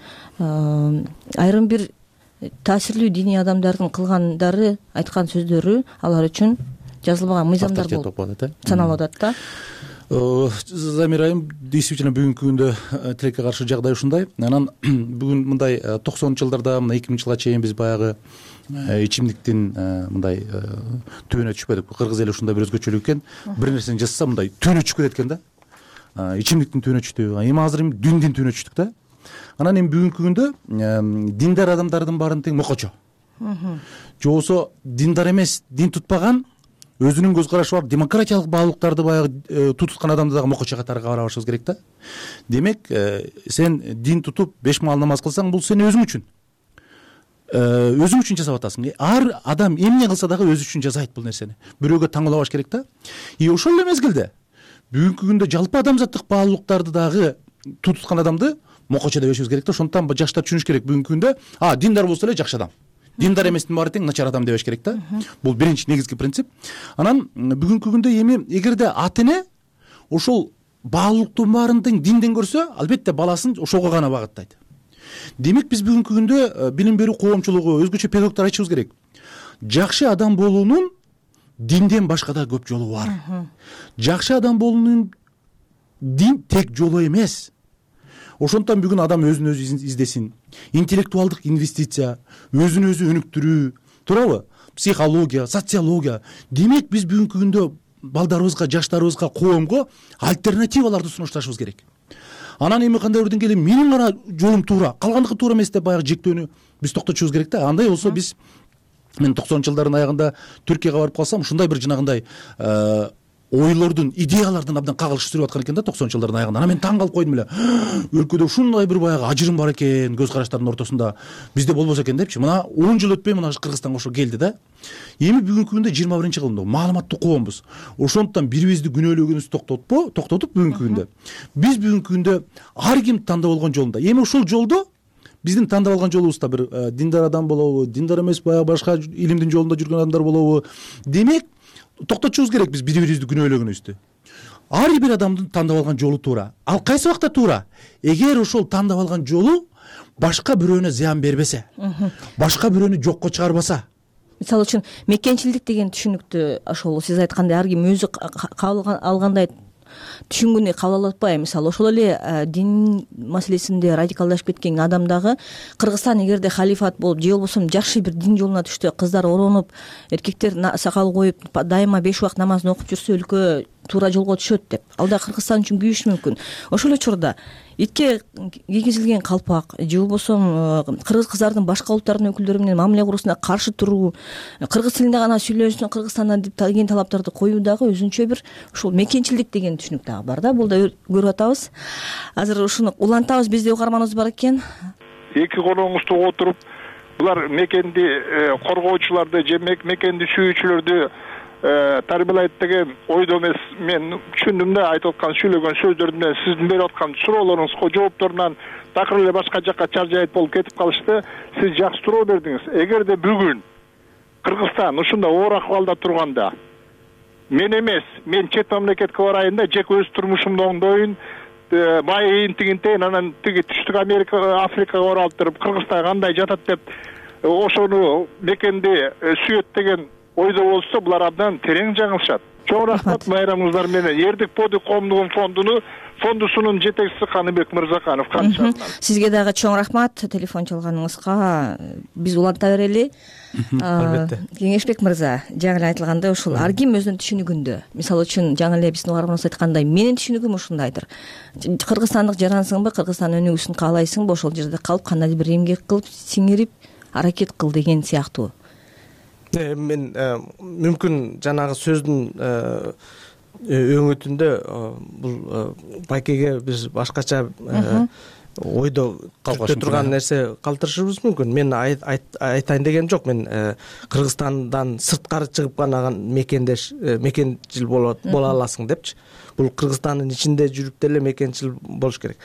S21: айрым бир таасирлүү диний адамдардын кылгандары, айткан сөздөрү алар үчүн жазылбаган мыйзамдар болуп саналып атат да.
S2: Замир айым, действительно бүгүнкү күндө тилекке каршы жагдай ушундай. Анан бүгүн мындай 90 жылдарда, мына 2000 жылга чейин биз баягы ичимдиктин мындай түбүнө түшпөдүк. Кыргыз эли ушундай бир өзгөчөлүк экен. Бир нерсени жазса мындай түбүнө түшүп кетет экен да. Ичимдиктин түбүнө түштү. Эми азыр дүндүн түбүнө түштүк да. Анан эми бүгүнкү күндө диндар адамдардын баарын тең мокочо. Же болбосо диндар эмес, дин тутпаган, өзүнүн көз карашы бар демократиялык баалуулуктарды баягы тутуткан адамды дагы мокочо катары карабашыбыз керек да. Демек, сен дин тутуп 5 маал намаз кылсаң, бул сен өзүң үчүн жасап атасың. Ар адам эмне кылса дагы өзү үчүн жасайт бул нерсени. Бирөөгө таңылбаш керек да. Ошол эле мезгилде бүгүнкү күндө жалпы адамзаттык баалуулуктарды дагы тутуткан адамды мокочо деп эшебиз керек да. Ошондуктан жаштар түшүнүш керек бүгүнкү күндө, диндар болсо эле жакшы адам, диндар эместин баары тең начар адам дебеш керек да. Бул биринчи негизги принцип. Анан бүгүнкү күндө эми эгерде ата эне ошол баалуулуктун баарын тең динден көрсө, албетте баласын ошого гана багыттайт. Демек биз бүгүнкү күндө билим берүү коомчулугу, өзгөчө педагогдор айтышыбыз керек. Жакшы адам болуунун динден башка да көп жолу бар. Жакшы адам болуунун дин тек жолу эмес. Ошондуктан бүгүн адам өзүн өзү издесин. Интеллектуалдык инвестиция, өзүн өзү өнүктүрүү, туурабы? Психология, социология. Демек биз бүгүнкү күндө балдарыбызга, жаштарыбызга, коомго альтернативаларды сунушташыбыз керек. Анан эми кандай бир деңгээлде менин гана жолум туура, калгандыкы туура эмес деп баягы жектөөнү биз токтотушубуз керек да. Андай болсо биз, мен 90 жылдардын аягында Түркияга барып калсам, ушундай бир жанагындай ойлордун, идеялардын абдан кагылыш сүрүп аткан экен да 90 жылдардын аягында. Анан мен таң калып койдум эле. Өлкөдө ушундай бир баягы ажырым бар экен, көз караштардын ортосунда. Бизде болбосо экен депчи. Мына 10 жыл өтпөй мына Кыргызстанга ошо келди да. Эми бүгүнкү күндө 21-кылымда маалыматтуу коомбуз. Ошондуктан бири-бирибизди күнөөлөгөнүбүздү токтотуп бүгүнкү күндө биз бүгүнкү күндө ар ким тандап алган жолунда. Эми ошол жолдо биздин тандап алган жолубузда бир диндар адам болобу, диндар эмес баягы башка илимдин жолунда жүргөн адамдар болобу. Демек, токтотушубуз керек биз бири-бирибизди күнөөлөгөнүбүздү. Ар бир адамдын тандап алган жолу туура. Ал кайсы убакта туура? Эгер ошол тандап алган жолу башка бирөөнө зыян бербесе, башка бирөөнү жокко чыгарбаса.
S21: Мисалы үчүн мекенчилдик деген түшүнүктү ошол сиз айткандай ар ким өзү кабыл алгандай түшүнгөнү кабыл алып атпайбы? Мисалы ошол эле дин маселесинде радикалдашып кеткен адам дагы Кыргызстан эгерде халифат болуп же болбосо жакшы бир дин жолуна түштү, кыздар оронуп, эркектер сакал коюп, дайыма 5 убакыт намазын окуп жүрсө, өлкө туура жолго түшөт деп. Ал да Кыргызстан үчүн күйүшү мүмкүн. Ошол эле учурда итке кийгизилген калпак же болбосо кыргыз кыздардын башка улуттардын өкүлдөрү менен мамиле куруусуна каршы туруу, кыргыз тилинде гана сүйлөсүн Кыргызстандан деген талаптарды коюу дагы өзүнчө бир ушул мекенчилдик деген түшүнүк дагы бар да. Бул да көрүп атабыз. Азыр ушуну улантабыз, бизде угарманыбыз бар экен.
S7: Эки колуңузду отуруп, булар мекенди коргоочуларды же мекенди сүйүүчүлөрдү тарбиялайт деген ойдо эмес. Мен түшүндүм да, айтып аткан сүйлөгөн сөздөрүнөн, сиздин берип аткан суроолоруңузга жоопторунан такыр эле башка жакка чаржайт болуп кетип калышты. Сиз жакшы суроо бердиңиз. Эгерде бүгүн Кыргызстан ушундай оор акыбалда турганда, мен эмес, мен чет мамлекетке барайын да, жеке өз турмушумду оңдоюн, байыйын тигинтейин, анан тиги Түштүк Америка, Африкага барып туруп Кыргызстан кандай жатат деп ошону мекенди сүйөт деген ойдо болсо, булар абдан терең жаңылышат. Чоң рахмат майрамыңыздар менен. Эрдик Подик коомдугунун фондусунун жетекчиси Каныбек Мырзаканов.
S21: Сизге дагы чоң рахмат телефон чалганыңызга. Биз уланта берели. Албетте. Кеңешбек мырза, жаңы эле айтылгандай, ушул ар ким өзүнүн түшүнүгүндө. Мисалы үчүн жаңы эле биздин угарманыбыз айткандай, менин түшүнүгүм ушундайдыр. Кыргызстандык жарансыңбы, Кыргызстан өнүгүүсүн каалайсыңбы, ошол жерде калып кандайдыр бир эмгек кылып, сиңирип, аракет кыл деген сыяктуу.
S22: Мен мүмкүн жанагы сөздүн өңөтүндө бул байкеге биз башкача ойдо түртө турган нерсе калтырышыбыз мүмкүн. Мен айтайын деген жок. Мен Кыргызстандан сырткары чыгып гана мекенчил боло аласың депчи. Бул Кыргызстандын ичинде жүрүп деле мекенчил болуш керек.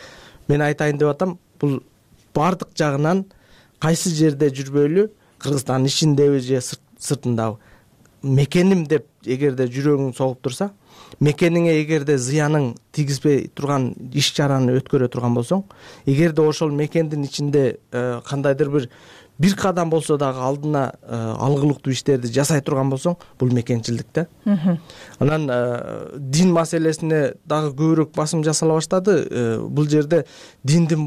S22: Мен айтайын деп атам, бул баардык жагынан кайсы жерде жүрбөйлү, кыргызстандын ичиндеби же сыртындабы мекеним деп эгерде жүрөгүң согуп турса, мекениңе эгерде зыянын тийгизбей турган иш чараны өткөрө турган болсоң, эгерде ошол мекендин ичинде кандайдыр бир кадам болсо дагы алдына алгылыктуу иштерди жасай турган болсоң, бул мекенчилдик да. Анан дин маселесине дагы көбүрөөк басым жасала баштады. Бул жерде диндин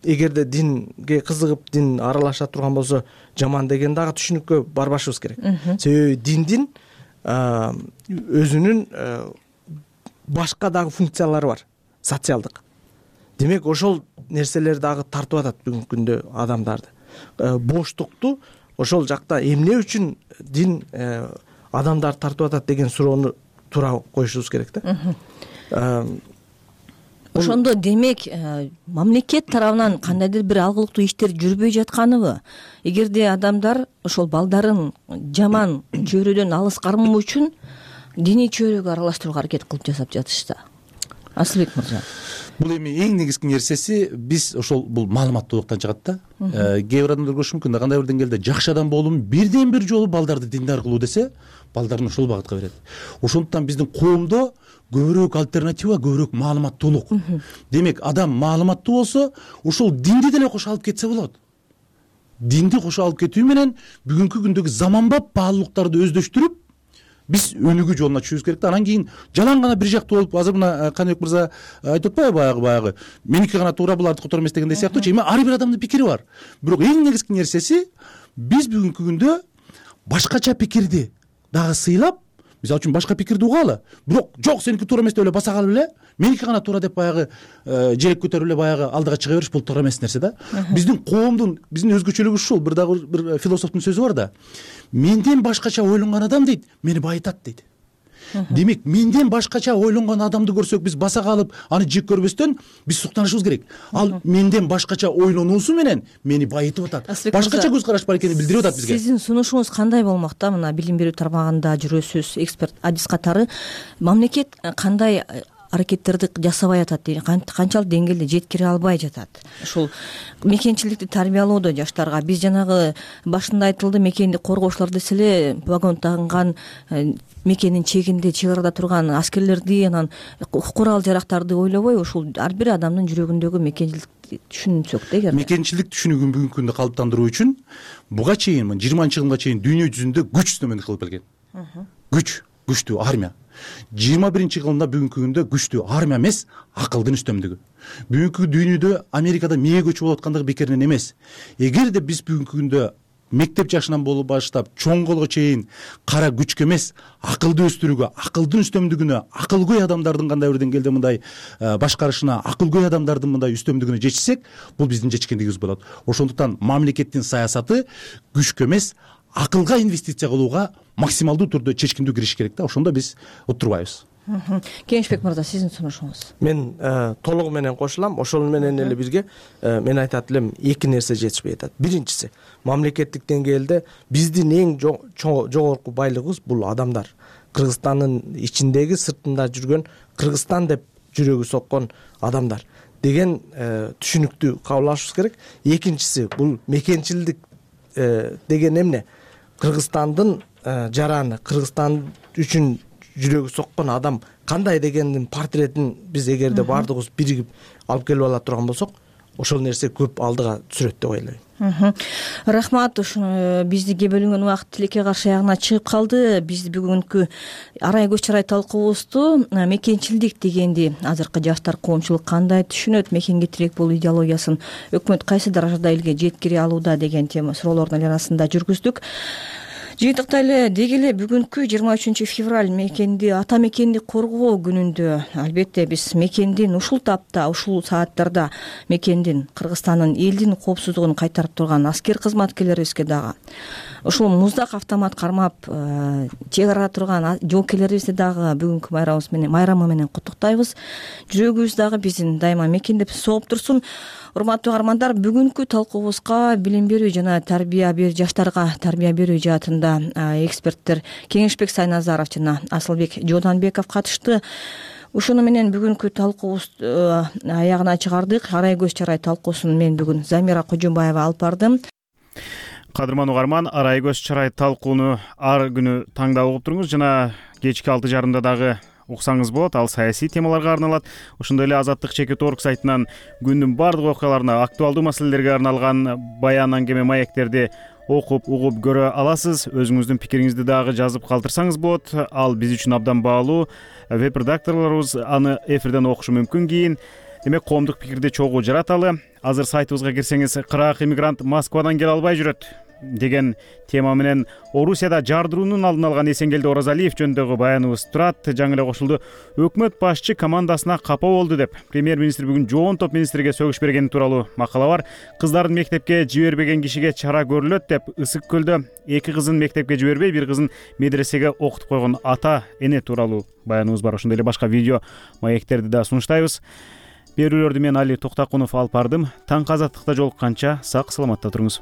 S22: эгерде динге кызыгып дин аралаша турган болсо жаман деген дагы түшүнүккө барбашыбыз керек. Себеби диндин өзүнүн башка дагы функциялары бар, социалдык. Демек ошол нерселер дагы тартып атат бүгүнкү күндө адамдарды. Боштукту ошол жакта эмне үчүн дин адамдарды тартып атат деген суроону туура коюшубуз керек да.
S21: Ошондо демек мамлекет тарабынан кандайдыр бир алгылыктуу иштер жүрбөй жатканыбы? Эгерде адамдар ошол балдарын жаман чөйрөдөн алыс кармоо үчүн диний чөйрөгө аралаштырууга аракет кылып жасап жатышса. Асылбек мырза.
S2: Бул эми эң негизги нерсеси биз ошол бул маалыматтуулуктан чыгат да. Кээ бир адамдар көрүшү мүмкүн да, кандай бир деңгээлде жакшы адам болуум бирден бир жолу балдарды диндар кылуу десе, балдарын ошол багытка берет. Ошондуктан биздин коомдо көбүрөөк альтернатива, көбүрөөк маалыматтуулук. Демек адам маалыматтуу болсо, ошол динди деле кошо алып кетсе болот. Динди кошо алып кетүү менен бүгүнкү күндөгү заманбап баалуулуктарды өздөштүрүп биз өнүгүү жолуна түшүбүз керек да. Анан кийин жалаң гана бир жактуу болуп, азыр мына Каныбек мырза айтып атпайбы баягы меники гана туура, булардыкы туура эмес дегендей сыяктуучу. Эми ар бир адамдын пикири бар. Бирок эң негизги нерсеси биз бүгүнкү күндө башкача пикирди дагы сыйлап, мисалы үчүн башка пикирди угалы, бирок жок сеники туура эмес деп эле баса калып эле меники гана туура деп баягы желек көтөрүп эле баягы алдыга чыга бериш, бул туура эмес нерсе да. Биздин коомдун, биздин өзгөчөлүгүбүз ушул. Бир дагы бир философтун сөзү бар да. Менден башкача ойлонгон адам дейт, мени байытат дейт. Демек, менден башкача ойлонгон адамды көрсөк, биз баса калып, аны жек көрбөстөн биз суктанышыбыз керек. Ал менден башкача ойлонуусу менен мени байытып атат. Башкача көз караш бар экенин билдирип атат бизге.
S21: Сиздин сунушуңуз кандай болмок да? Мына билим берүү тармагында жүрөсүз, эксперт Адис катары мамлекет кандай аракеттерди жасабай атат, канчалык деңгээлде жеткире албай жатат? Ушул мекенчиликти тарбиялоодо жаштарга биз жанагы башында айтылды, мекенди коргоочулар десе эле вагон тагынган мекенин чегинде, чек арада турган аскерлерди, анан курал-жарактарды ойлобой, ушул ар бир адамдын жүрөгүндөгү мекенчиликти түшүнсөк да эгер.
S2: Мекенчилик түшүнүгүн бүгүнкү күндө калыптандыруу үчүн буга чейин 20-жылга чейин дүйнө жүзүндө күч үстөмөнлүк кылып келген. Күчтүү армия. 21-жылында бүгүнкү күндө күчтүү армия эмес, акылдын үстөмдүгү. Бүгүнкү дүйнөдө Америкада мээ көчүп болуп аткандыгы бекеринен эмес. Эгерде биз бүгүнкү күндө мектеп жашынан болуп баштап чоңголго чейин кара күчкө эмес, акылды өстүрүүгө, акылдын үстөмдүгүнө, акылгөй адамдардын кандай бир деңгээлде мындай башкарышына, акылгөй адамдардын мындай үстөмдүгүнө жетишсек, бул биздин жетишкендигибиз болот. Ошондуктан мамлекеттин саясаты күчкө эмес, акылга инвестиция кылууга максималдуу түрдө чечкиндүү кириш керек да. Ошондо биз уттурбайбыз.
S21: Кенжбек мырза, сиздин сунушуңуз?
S22: Мен толугу менен кошулам. Ошол менен эле бирге мен айтат элем, эки нерсе жетишпей атат. Биринчиси, мамлекеттик деңгээлде биздин эң жогорку байлыгыбыз бул адамдар. Кыргызстандын ичиндеги, сыртында жүргөн, Кыргызстан деп жүрөгү соккон адамдар деген түшүнүктү кабыл алышыбыз керек. Экинчиси, бул мекенчилдик деген эмне? Кыргызстандын жараны, Кыргызстан үчүн жүрөгү соккон адам кандай дегендин портретин биз эгерде баардыгыбыз биригип алып келип ала турган болсок, ошол нерсе көп алдыга түшүрөт деп ойлойм.
S21: Рахмат. Биздики бөлүнгөн убакыт тилекке каршы аягына чыгып калды. Биз бүгүнкү арай көз чарай талкуубузду мекенчилдик дегенди азыркы жаштар, коомчулук кандай түшүнөт, мекенге тирек болуу идеологиясын өкмөт кайсы даражада элге жеткире алууда деген тема суроолордун айланасында жүргүздүк. Жыйынтыкта эле деги эле бүгүнкү 23 февраль мекенди, ата мекенди коргоо күнүндө албетте биз мекендин ушул тапта, ушул сааттарда мекендин, Кыргызстандын, элдин коопсуздугун кайтарып турган аскер кызматкерлерибизге дагы, ушул муздак автомат кармап чек арада турган жоокерлерибизди дагы бүгүнкү майрамы менен куттуктайбыз. Жүрөгүбүз дагы биздин дайыма мекендеп согуп турсун. Урматтуу каармандар, бүгүнкү талкуубузга билим берүү жана жаштарга тарбия берүү жаатында эксперттер Кеңешбек Сайназаров жана Асылбек Жоданбеков катышты. Ушуну менен бүгүнкү талкуубуз аягына чыгардык. Арай көз чарай талкуусун мен бүгүн Замира Кожомбаева алып бардым.
S1: Кадырман угарман, арай көз чарай талкууну ар күнү таңда угуп туруңуз жана кечки 6:30 дагы уксаңыз болот. Ал саясий темаларга арналат. Ошондой эле Азаттык /org сайтынан күндүн бардык окуяларына, актуалдуу маселелерге арналган баян аңгеме маектерди окуп, угуп көрө аласыз. Өзүңүздүн пикириңизди дагы жазып калтырсаңыз болот. Ал биз үчүн абдан баалуу. Веб-редакторлорубуз аны эфирден окушу мүмкүн кийин. Демек, коомдук пикирди чогуу жараталы. Азыр сайтыбызга кирсеңиз, кырак иммигрант Москвадан келе албай жүрөт деген тема менен Орусияда жардыруунун алдын алган Эсенгелди Оразалиев жөнүндөгү баяныбыз турат. Жаңы эле кошулду. Өкмөт башчы командасына капа болду деп премьер-министр бүгүн жоон топ министрге сөгүш бергени тууралуу макала бар. Кыздарын мектепке жибербеген кишиге чара көрүлөт деп Ысык көлдө 2 кызын мектепке жибербей, 1 кызын медресеге окутуп койгон ата эне тууралуу баяныбыз бар. Ошондой эле башка видео маектерди да сунуштайбыз. Берүүлөрдү мен Али Токтакунов алып бардым. Таңкы азаттыкта жолукканча сак саламатта туруңуз.